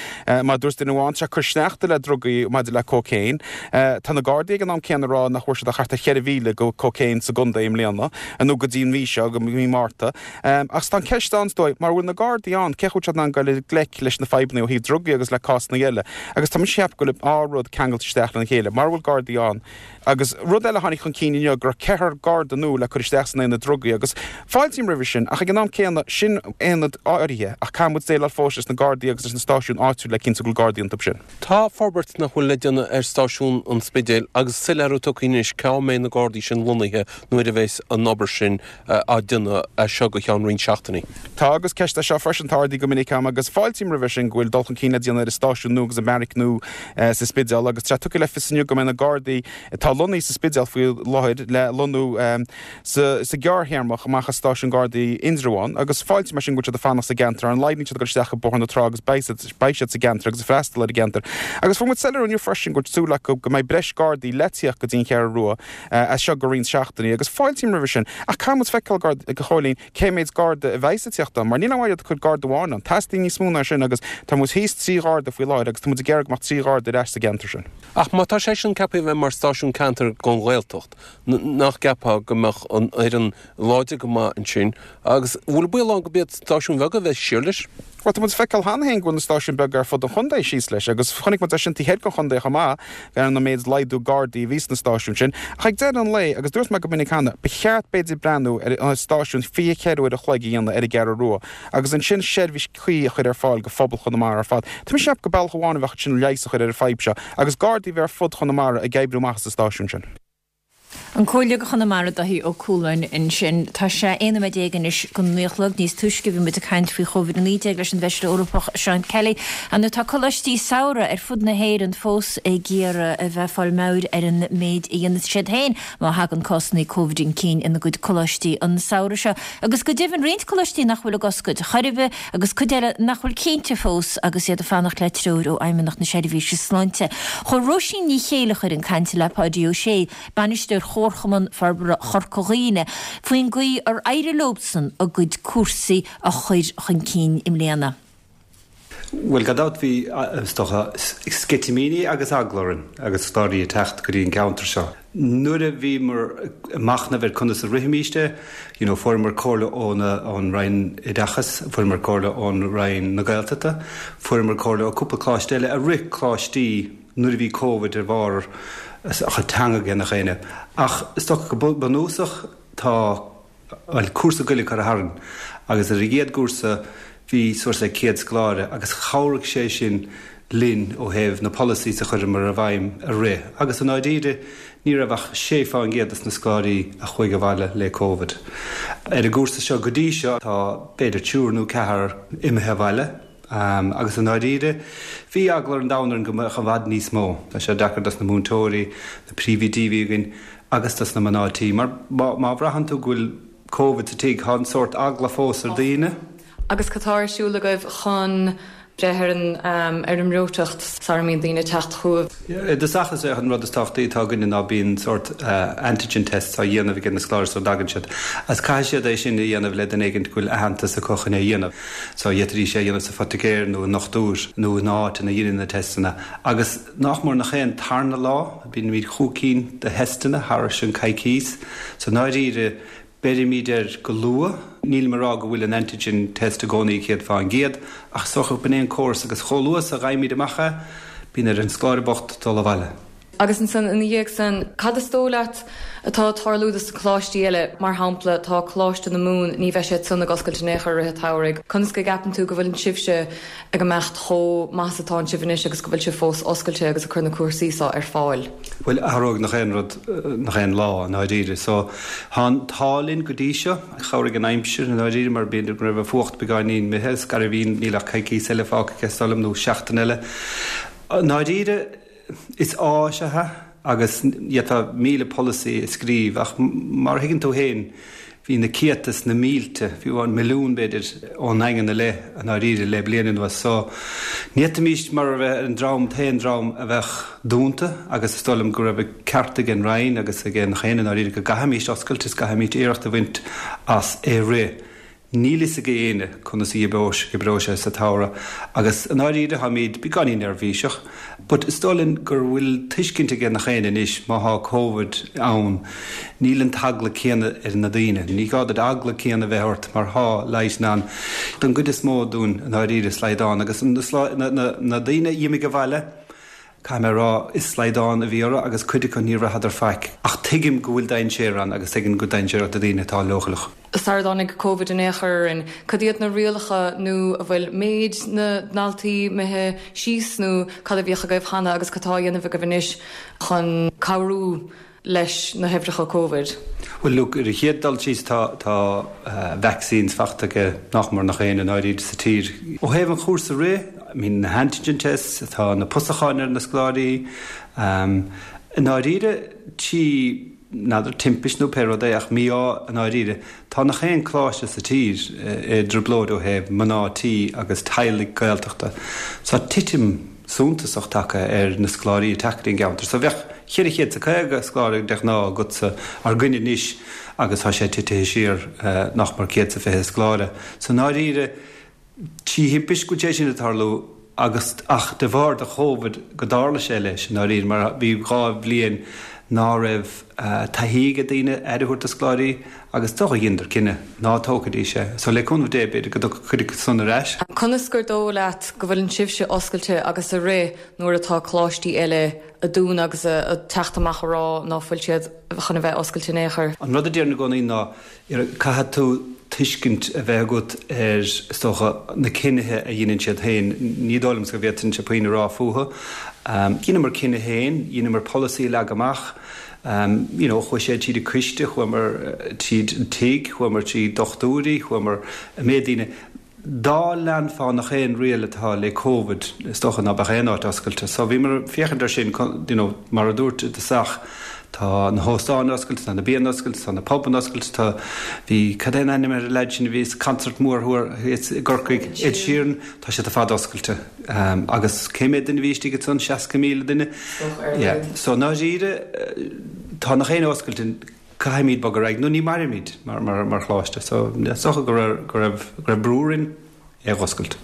Mar a dúirt duine amháin, tá sé ag cur sneachta le drugaí maidir le cócaon. Tá na Gardaí ag an am céanna ag rá nach bhfuair siad ach thart ar 4,000 de cócaon sa gcontae i mbliana, nó go dtí an mhí seo, go mí Márta. Ach tá an ceist ann, is dóigh, mara bhfuil na Gardaí ann, cén chaoi a bhfuil siad in ann dul i ngleic leis na fadhbanna ó thaobh drugaí agus le cásanna eile? Agus tá mise ag ceapadh go bhfuil an dá rud ceangailte isteach lena chéile. Mara bhfuil Gardaí ann, Agus rud eile a tháinig chun cinn inniu, go raibh ceathrar Garda nua le cur isteach san aonad drugaí agus fáiltím roimhe sin ach ag an am céanna, sin aonad áirithe ach caithfidh muid déileáil fós leis na Gardaí agus leis na stáisiúin áitiúil le cinntiú go bhfuil Gardaí iontu sin. Tá forbairt nach bhfuil le déanamh ar stáisiún an Spidéil agus soiléiriú tugtha anois cá mbeidh na Gardaí sin lonnaithe nuair a bheas an obair sin á déanamh as seo go ceann roinnt seachtainí. Tá agus ceist é seo freisin atá ardaithe go minic agam agus fáiltím roimhe sin go bhfuil dul chun cinn le déanamh ar an stáisiún nua agus an beairic nua sa Spidéal agus tá sé tugtha le fios inniu go mbeidh na Gardaí. Gardaí atá lonnaithe sa Spidéal faoi láthair le lonnú sa ghearrthéarmach amach as Stáisiún Gardaí Indreabhán agus fáiltím mar sin go bhfuil siad ag fanacht sa gceantar. Ar a laghad níl siad ag dul isteach i Bóthar na Trá agus beidh siad sa gceantar agus ag freastal ar an gceantar. Agus fuair muid soiléiriú inniu freisin go bhfuil súil acu go mbeidh breis Gardaí le tíocht go dtí an Cheathrú Rua as seo go roinnt seachtainí agus fáiltím roimhe sin ach caithfidh muid feiceáil, a Chóilín, cé méid Garda a bheidhs ag tíocht ann mar níl aon mhaith iad ag cur Garda amháin ann. Teastaíonn níos mó ná sin agus tá muid thíos 3 Gharda faoi láthair agus tá muid ag iarraidh go mbeadh 3 Gharda ar ais sa gceantar sin. Ach má tá sé sin ceaptha a bheith mar stáisiún ceantair don Ghaeltacht, nach gceapfá go mbeadh an fhoireann láidir go maith ansin agus an bhfuil baol ann go mb'iad stáisiúin bheaga a bheas siar leis? Bhuel, tá muid ag feiceáil cheana féin go bhfuil na stáisiúin beaga ar fud an chontae síos leis agus chonaic muid é sin taobh thoir den chontae chomh maith, ar an méid laghdú Gardaí a bhí sna stáisiúin sin. Ach ag deireadh an lae, agus dúirt mé go minic cheana, ba cheart b'fhéidir breathnú ar stáisiún 24 uair a chloig a dhéanamh ar an gCeathrú Rua agus ansin seirbhís cuí a chur ar fáil go phobal Chonamara ar fad. Tá mise ag ceapadh gur bealach amháin a bheadh ansin leigheas a chur ar an fadhb seo agus Gardaí a bheith ar fud Chonamara ag oibriú amach as an stáisiún sin. An Comhairleoir do Chonamara Dáithí Ó Cualáin ansin. Tá sé 11 nóiméad anois go naoi a chlog. Níos túisce bhí muid ag caint faoi Chóivid-19 leis an bhFeisire Eorpach Seán Kelly. Ar ndóigh tá coláistí samhraidh ar fud na hÉireann fós ag iarraidh a bheith ag fáil meabhair ar an méid a dhéanfas siad féin má thagann cásanna Covid chun cinn ina gcuid coláistí an samhradh seo. Agus go deimhin roinnt coláistí nach bhfuil ag oscailt chor ar bith agus cuid eile nach bhfuil cinnte fós agus iad ag fanacht le treoir ó Fheidhmeannacht na Seirbhíse Sláinte. Chuir Róisín Ní Chéilleachair chun cainte le Páidí Ó Sé, Bainisteoir Chomharchumann Forbartha Chorca Dhuibhne, faoin gcaoi ar éirigh leobsan a gcuid cúrsaí a chur chun cinn i mbliana. Bhuel, gan dabht bhí, is dócha, sceitimíní agus eagla orainn agus scoláirí ag teacht go dtí an ceantar seo. Nuair a bhíomar ag machnamh ar conas a rithfimíst é, you know, fuaireamar comhairle ón Roinn Oideachais, fuaireamar comhairle ón Roinn na Gaeltachta, fuaireamar comhairle ó cúpla coláiste eile a rith coláistí nuair a bhí Covid ar bharr a chuid teanga ag nach éinne. Ach is dócha go bunúsach tá bhuel, cúrsa Gaeilge curtha tharainn agus ar an gcéad gcúrsa bhí suas le 100 scoláire agus chabhraigh sé sin linn ó thaobh na policies a chuireamar i bhfeidhm a rith agus i ndáiríre ní raibh ach 6 fán gcéad des na scoláirí a chuaigh abhaile le Covid. Ar an gcúrsa seo go dtí seo tá b'fhéidir triúr nó ceathrar imithe abhaile. Agus i ndáiríre, bhí eagla an domhain orainn go mbeadh i bhfad níos mó. Tá sé deacair dos na múinteoirí, na príomhoidí a bhí againn agus dos na mná tí. Mar má bhraitheann tú go bhfuil Covid sa tigh, tá an sórt eagla fós ar daoine. Agus cad tá ar siúl agaibh chun breith ar an ar an mbreoiteacht sara mbíonn daoine ag teacht chugaibh? I dtosach is é an rud is tábhachtaí atá againne ná bíonn sórt antigen tests á dhéanamh ag na scoláirí sula dtagann siad. Agus caithfidh siad é sin a dhéanamh le duine éigint go bhfuil aitheantas acu chun é a dhéanamh. So d'fhéadfaidís é a dhéanamh sa phoitigéir nó i ndochtúir nó in áit ina dheineann na teisteanna. Agus nach mór nach aon tarna lá, bímid chúig cinn de theisteanna thairis an coicíos. So i ndáiríre, beirimid air go luath. Nílim ag rá go bhfuil an antigen test i gcónaí 100%, ach is dócha b'in é an córas agus chomh luath is a gheibhimid amach é, bíonn ar an scoláire bocht dul abhaile. Agus ansan, ina dhiaidh san, cad is dóigh leat atá ag tarlú dos na coláistí eile? Mar shampla, tá Coláiste na Mumhan, ní bheidh siad san ag oscailt in aon chor i rith an tsamhraidh. Conas go gceapann tú go bhfuileann sibhse ag imeacht chomh maith is atánn sibh anois agus go bhfuil sibh fós oscailte agus ag cur na cúrsaí so ar fáil? Bhuel, athróidh nach aon rud nach aon lá, i ndáiríre. So, tá an t-ádh linn go dtí seo. Chabhraigh an aimsir, i ndáiríre, mar b'fhéidir go raibh an fuacht beagáinín imithe. Is gairbhín, níl ach coicíos eile fágtha aige, is dóigh liom, nó seachtain eile. I ndáiríre, Is áis é agus d'fhéadfá 1000 polasaí a scríobh ach mar a thuigeann tú féin bhí na céadta is na mílte, fiú amháin milliún b'fhéidir, ón nDaingean i leith i ndáiríre le bliain anuas. So ní fhéadfaimís mar a bheith an dream, an t-aon dream a bheadh dúnta agus is dóigh liom go raibh an ceart ag an Roinn agus ag nach éinne i ndáiríre go gcaithfimís oscailt is gcaithfimís iarracht a bhaint as é rith. Níl fhios ag éinne conas a oibreoidh sé sa tsamhradh agus i ndáiríre táimid beagáinín neirbhíseach but is dóigh linn gur bhfuil tuiscint ag nach éinne anois má thá Covid ann níl an t-eagla céanna ar na daoine. Ní gá duit eagla céanna a bheith ort mar thá leigheas ann don gcuid is mó dúinn i ndáiríre slaghdán agus na daoine a d'imigh abhaile Caithfidh mé a rá, is slaghdán a bhí orthu agus cuid acu níor bhraitheadar faic. Ach tuigim go bhfuil dainséar ann agus tuigim go bhfuil dainséarach do dhaoine atá leochaileach. Sara dtáinig Covid in aon chor orainn, cad iad na rialacha nó an bhfuil méid na ndaltaí imithe síos nó cad a bhíodh agaibh cheana agus cad tá á dhéanamh agaibh anois chun cabhrú leis na huimhreacha Covid? Bhuel, look, ar an chéad dul síos tá tá vaccines fachta ag nach mór nach éinne i ndáiríre sa tír. Ó thaobh an chúrsa rith, I mean na antigen tests, tá na pusacháin ar na scoláirí. I ndáiríre, trí, n'fheadar, timpist nó pé rud é, ach mí-ádh i ndáiríre, tá nach aon coláiste sa tír i dtrioblóid ó thaobh mná tí agus teaghlaigh Gaeltachta. So titim suntasach tagtha ar na scoláirí ag teacht go dtí an gceantar. So bheadh 450 scoláire de ghnáth agatsa againn anois agus tá sé titithe siar nach mór 120 scoláire. So i ndáiríre, trí thimpist go bhfuil sé sin ag tarlú agus ach de bharr de Chóvid go dtarla sé leis i ndáiríre mar bhí 2 bhliain ná raibh taithí ag daoine aire a thabhairt do scoláirí agus is dócha dheineadar cinneadh ná tógfaidís é. So le cúnamh Dé b'fhéidir go dtiocfaidh cuid acu san ar ais. Conas gur dóigh leat go bhfuileann sibhse oscailte agus ag rith nuair atá coláistí eile ag dúnadh agus ag teacht amach a rá ná fuil siad chun a bheith oscailte in aon chor? An rud a déarfainn i gcónaí ná Caithfidh tú tuiscint a bheith agat ar, is dócha, na cinnithe a dheineann siad féin. Ní dóigh liomsa go bhféadfainnse puinn a rá fúthu. Dheineamar cinneadh féin, dheineamar polasaí a leagadh amach. You know, chuaigh sé tríd an coiste, chuamar tríd an tigh, chuamar trí dochtúirí, chuamar an méid daoine. Dá leanfá nach aon riail atá le Covid, is dócha ná beadh aon áit oscailte. So bhíomar ag féachaint ar sin, you know, mar a dúirt i dtosach, tá na hóstáin oscailte, tá na bianna oscailte, tá na pubanna oscailte, tá, bhí, cad é an ainm ar an leaid sin a bhí sa concert mór thiar i gCorcaigh, Ed Sheeran, tá siad ar fad oscailte. Agus cé mhéad duine a bhí istigh ansan? 60,000 duine? Yeah. So i ndáiríre, tá nach aon oscailte. Caithfimid bogadh ar aghaidh nó ní mairfimid mar choláiste so is dócha go raibh go raibh brú orainn é a dh'oscailt.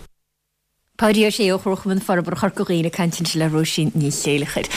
Páidí Ó Sé ó Chomharchumann Forbartha Chorca Dhuibhne ag caint ansin le Róisín Ní Chéilleachair.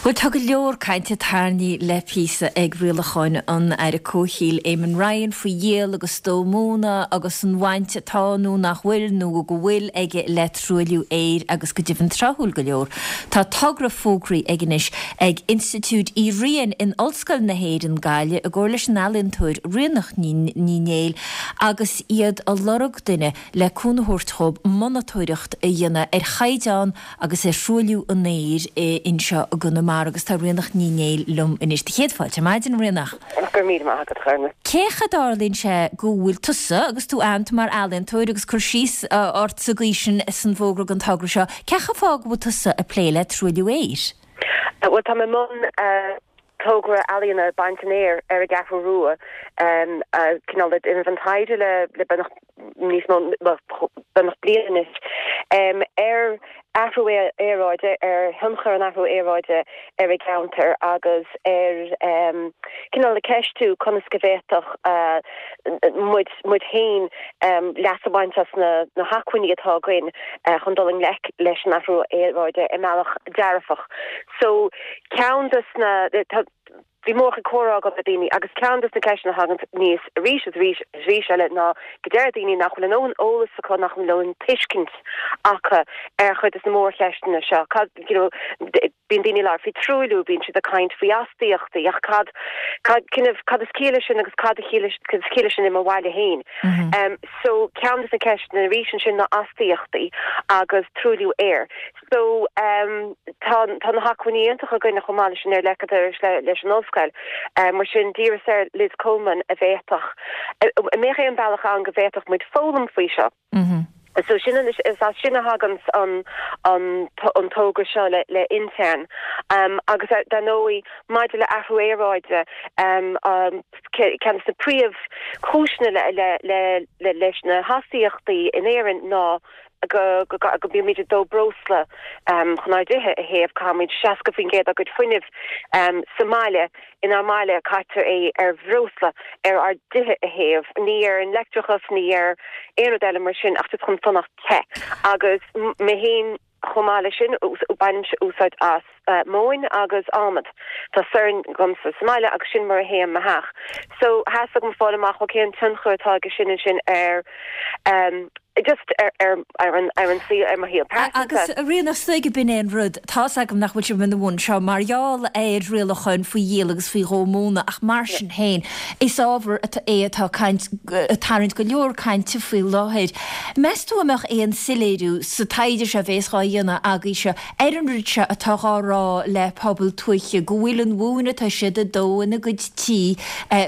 Bhuel tá go leor cainte tarraingthe le píosa ag rialacháin an Aire Comhshaoil Eamon Ryan faoi dhíol agus dó móna agus an bhaint atá nó nach bhfuil nó go bhfuil aige le truailliú aeir agus go deimhin tráthúil go leor tá togra fógraithe aige anois ag Institiúid Uí Riain in Ollscoil na hÉireann, Gaillimh, i gcomhar leis an ealaíontóir Ríonach Ní Néill agus iad a lorg duine le cúnamh a thabhairt dhóibh monatóireacht a dhéanamh ar chaighdeán agus ar thruailliú an aeir anseo i gConamara agus tá Ríonach Ní Néill liom anois. Do chéad fáilte ar maidin, a Ríonach. Go raibh míle maith agat, a Ghormlaith. Cén chaoi a dtarlaíonn sé go bhfuil tusa, agus tú aitheanta mar ealaíontóir agus cur síos ort sa gcaoi sin san bhfógra don togra seo, cén fáth go bhfuil tusa ag plé le truailliú aeir? Bhuel, tá mé i mbun togra ealaíona Baint an Aeir ar an gCeathrú Rua, cineál ag déanamh an taighde le beagnach níos mó, bhuel, beagnach bliain anois, ar athrú aeráide, ar thionchar an athrú aeráide ar an gceantar agus ar cineál ag ceistiú conas go bhféadfadh muid muid féin leas a bhaint as na hacmhainní atá againn chun dul i ngleic leis an athrú aeráide i mbealach dearfach. So ceann des na, bhí mórchuid comhrá agam le daoine agus ceann des na ceisteanna a thagann aníos arís is arís is arís eile ná go deir daoine nach bhfuil a ndóthain eolas acu, nach bhfuil a ndóthain tuiscint acu ar chuid des na mórcheisteanna seo. Cad, you know, bíonn daoine ag labhairt faoi truailliú, bíonn siad ag caint faoi astaíochtaí ach cad, cad, cad is ciall leis sin agus cad a chiall, cad is ciall leis sin i mo bhaile féin? So ceann des na ceisteanna arís ansin ná astaíochtaí agus truailliú aeir. So tá tá na hacmhainní iontacha againne chomh maith leis an aer le leis an ollscoil. Mar sin d'iarras ar Liz Coleman a bhféadfadh, an mbeadh aon bealach ann go bhféadfadh muid foghlaim faoi seo. So sin an, is as sin a thagann an an an togra seo le le Intern. Agus dar ndóigh maidir le athrú aeráide, ceann de na príomh chúiseanna le le le leis na hastaíochtaí in Éirinn ná go go mbímid ag dó breosla chun ár dtithe a théamh, caithimid 60% dár gcuid fuinnimh sa mbaile, inár mbaile, caitear é ar bhreosla ar ár dtithe a théamh, ní ar an leictreachas, ní ar aon rud eile mar sin ach just chun fanacht te. Agus mé féin chomh maith leis sin, bainimse úsáid as móin agus adhmad. Tá sorn agamsa sa mbaile agus sin mar a théim mo theach. So theastaigh uaim fáil amach, ok, cén tionchar atá aige sin ansin ar just ar ar ar an ar an saol ar mo shaol pearsanta. Agus a Ríonach, is dóigh b'in é an rud, tá's agam nach bhfuil sibh ina bhun seo mar gheall ar rialacháin faoi dhíol agus faoi dhó móna ach mar sin féin is ábhar é atá caint ag tarraingt go leor cainte faoi láthair. Meas tú an mbeadh aon soiléiriú sa taighde seo a bhéas dhá dhéanamh agaibhse ar an rud seo atá dhá rá le pobal tuaithe, go bhfuil an mhóin atá siad ag dó ina gcuid tí,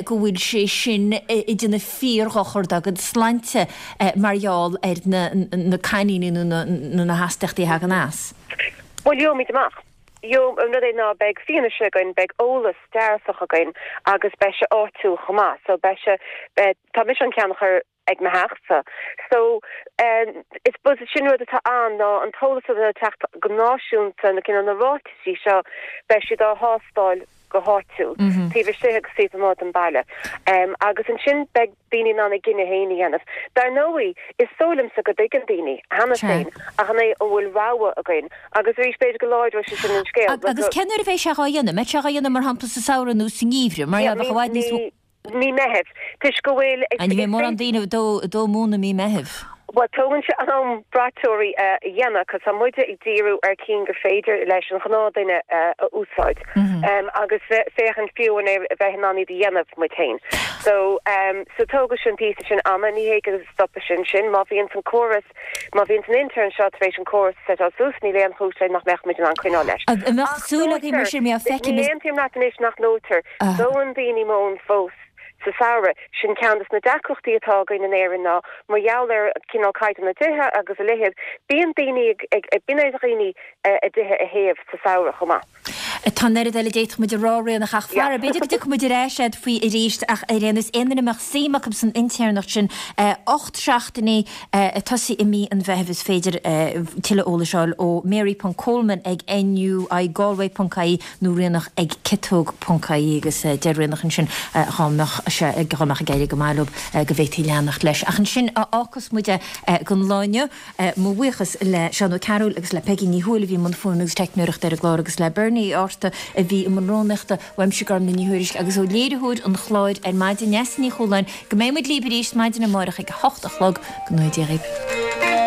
go bhfuil sé sin ag déanamh fíordhochar dá gcuid sláinte mar gheall ar na coiníní nó na hastaíochtaí a thagann as. Bhuel, gheobhaimid amach. An rud é ná beidh fianaise againn, beidh eolas dearfach againn agus beidh sé áitiúil chomh maith. So beidh sé, tá mise á cheannach ar ag mo theachsa. So I suppose sin rud atá ann ná an t-eolas atá ag teacht go náisiúnta, na cineál na ráitisí seo, beidh siad á thástáil go háitiúil, taobh istigh agus taobh amuigh den baile. Agus ansin beidh daoine in ann a gcinneadh féin a dhéanamh. Dar ndóigh, is dóigh liomsa go dtuigeann daoine, cheana féin, ach an é an bhfuil rogha againn? Agus arís, b'fhéidir go láidreoidh sé sin an scéal. Agus cén uair a bheidh sé dhá dhéanamh? Mbeidh sé dhá dhéanamh, mar shampla, sa samhradh nó sa ngeimhreadh? Mar bheadh i bhfad níos mó. Mí Meithimh, toisc go bhfuil. Ní bheidh mórán daoine ag dó móna mí Meithimh. Bhuel, tógann sé am braiteoirí a dhéanamh, cos tá muide ag díriú ar cinn gur féidir leis an ghnáthduine a úsáid agus féachaint fiú an é a bheith in ann iad a dhéanamh muid féin. So, so tógfaidh sin píosa sin ama, ní hé go stopfaidh sin sin. Má bhíonn an córas, má bhíonn an intern seo tar éis an córas a seiteáil suas, níl aon chúis le nach mbeadh muid in ann coinneáil leis. An mbeadh súil agaibh mar sin, mbeadh feicim Ní aontaím leat anois nach ndóitear. Dóann daoine móin fós sa samhradh. Sin ceann des na deacrachtaí atá againn in Éirinn ná mar gheall ar cineál caighdeán na dtithe agus a leithéid, bíonn daoine ag, bíonn ar dhaoine a dtithe a théamh sa samhradh chomh maith. Tá an oiread eile d'fhéadfadh muid a rá, Ríonach, ach fara, b'fhéidir go dtiocfaidh muid ar ais agat faoi arís ach ar aon nós, aon duine a mbeadh suim acu san intéirneacht sin, 8 seachtainí ag tosaí i mí an Mheithimh is féidir tuilleadh eolais a fháil ó mary.coleman ag nuigalway.ie. nó Ríonach ag ciotóg ponc ie agus deir Ríonach ansin dhá mbeadh sé dhá mbeadh ag éirí go maith leo go bhféadfaí leanacht leis. Ach ansin a fhágfas muid é don lá inniu. Mo bhuíochas le Seán Ó Cearúil agus le Peigí Ní Thuathail a bhí i mbun fuaime agus teicneoireachta ar an gclár agus le Bernie Uí Fhátharta a bhí i mbun rúnaíochta. Uaimse Gormlaith Ní Thuairisg agus ó léiritheoir an chláir ar maidin, Neasa Ní Chualáin, go mbeidh muid libh arís maidin amárach ag a hocht a chlog. Go ngnóthaí Dia dhaoibh.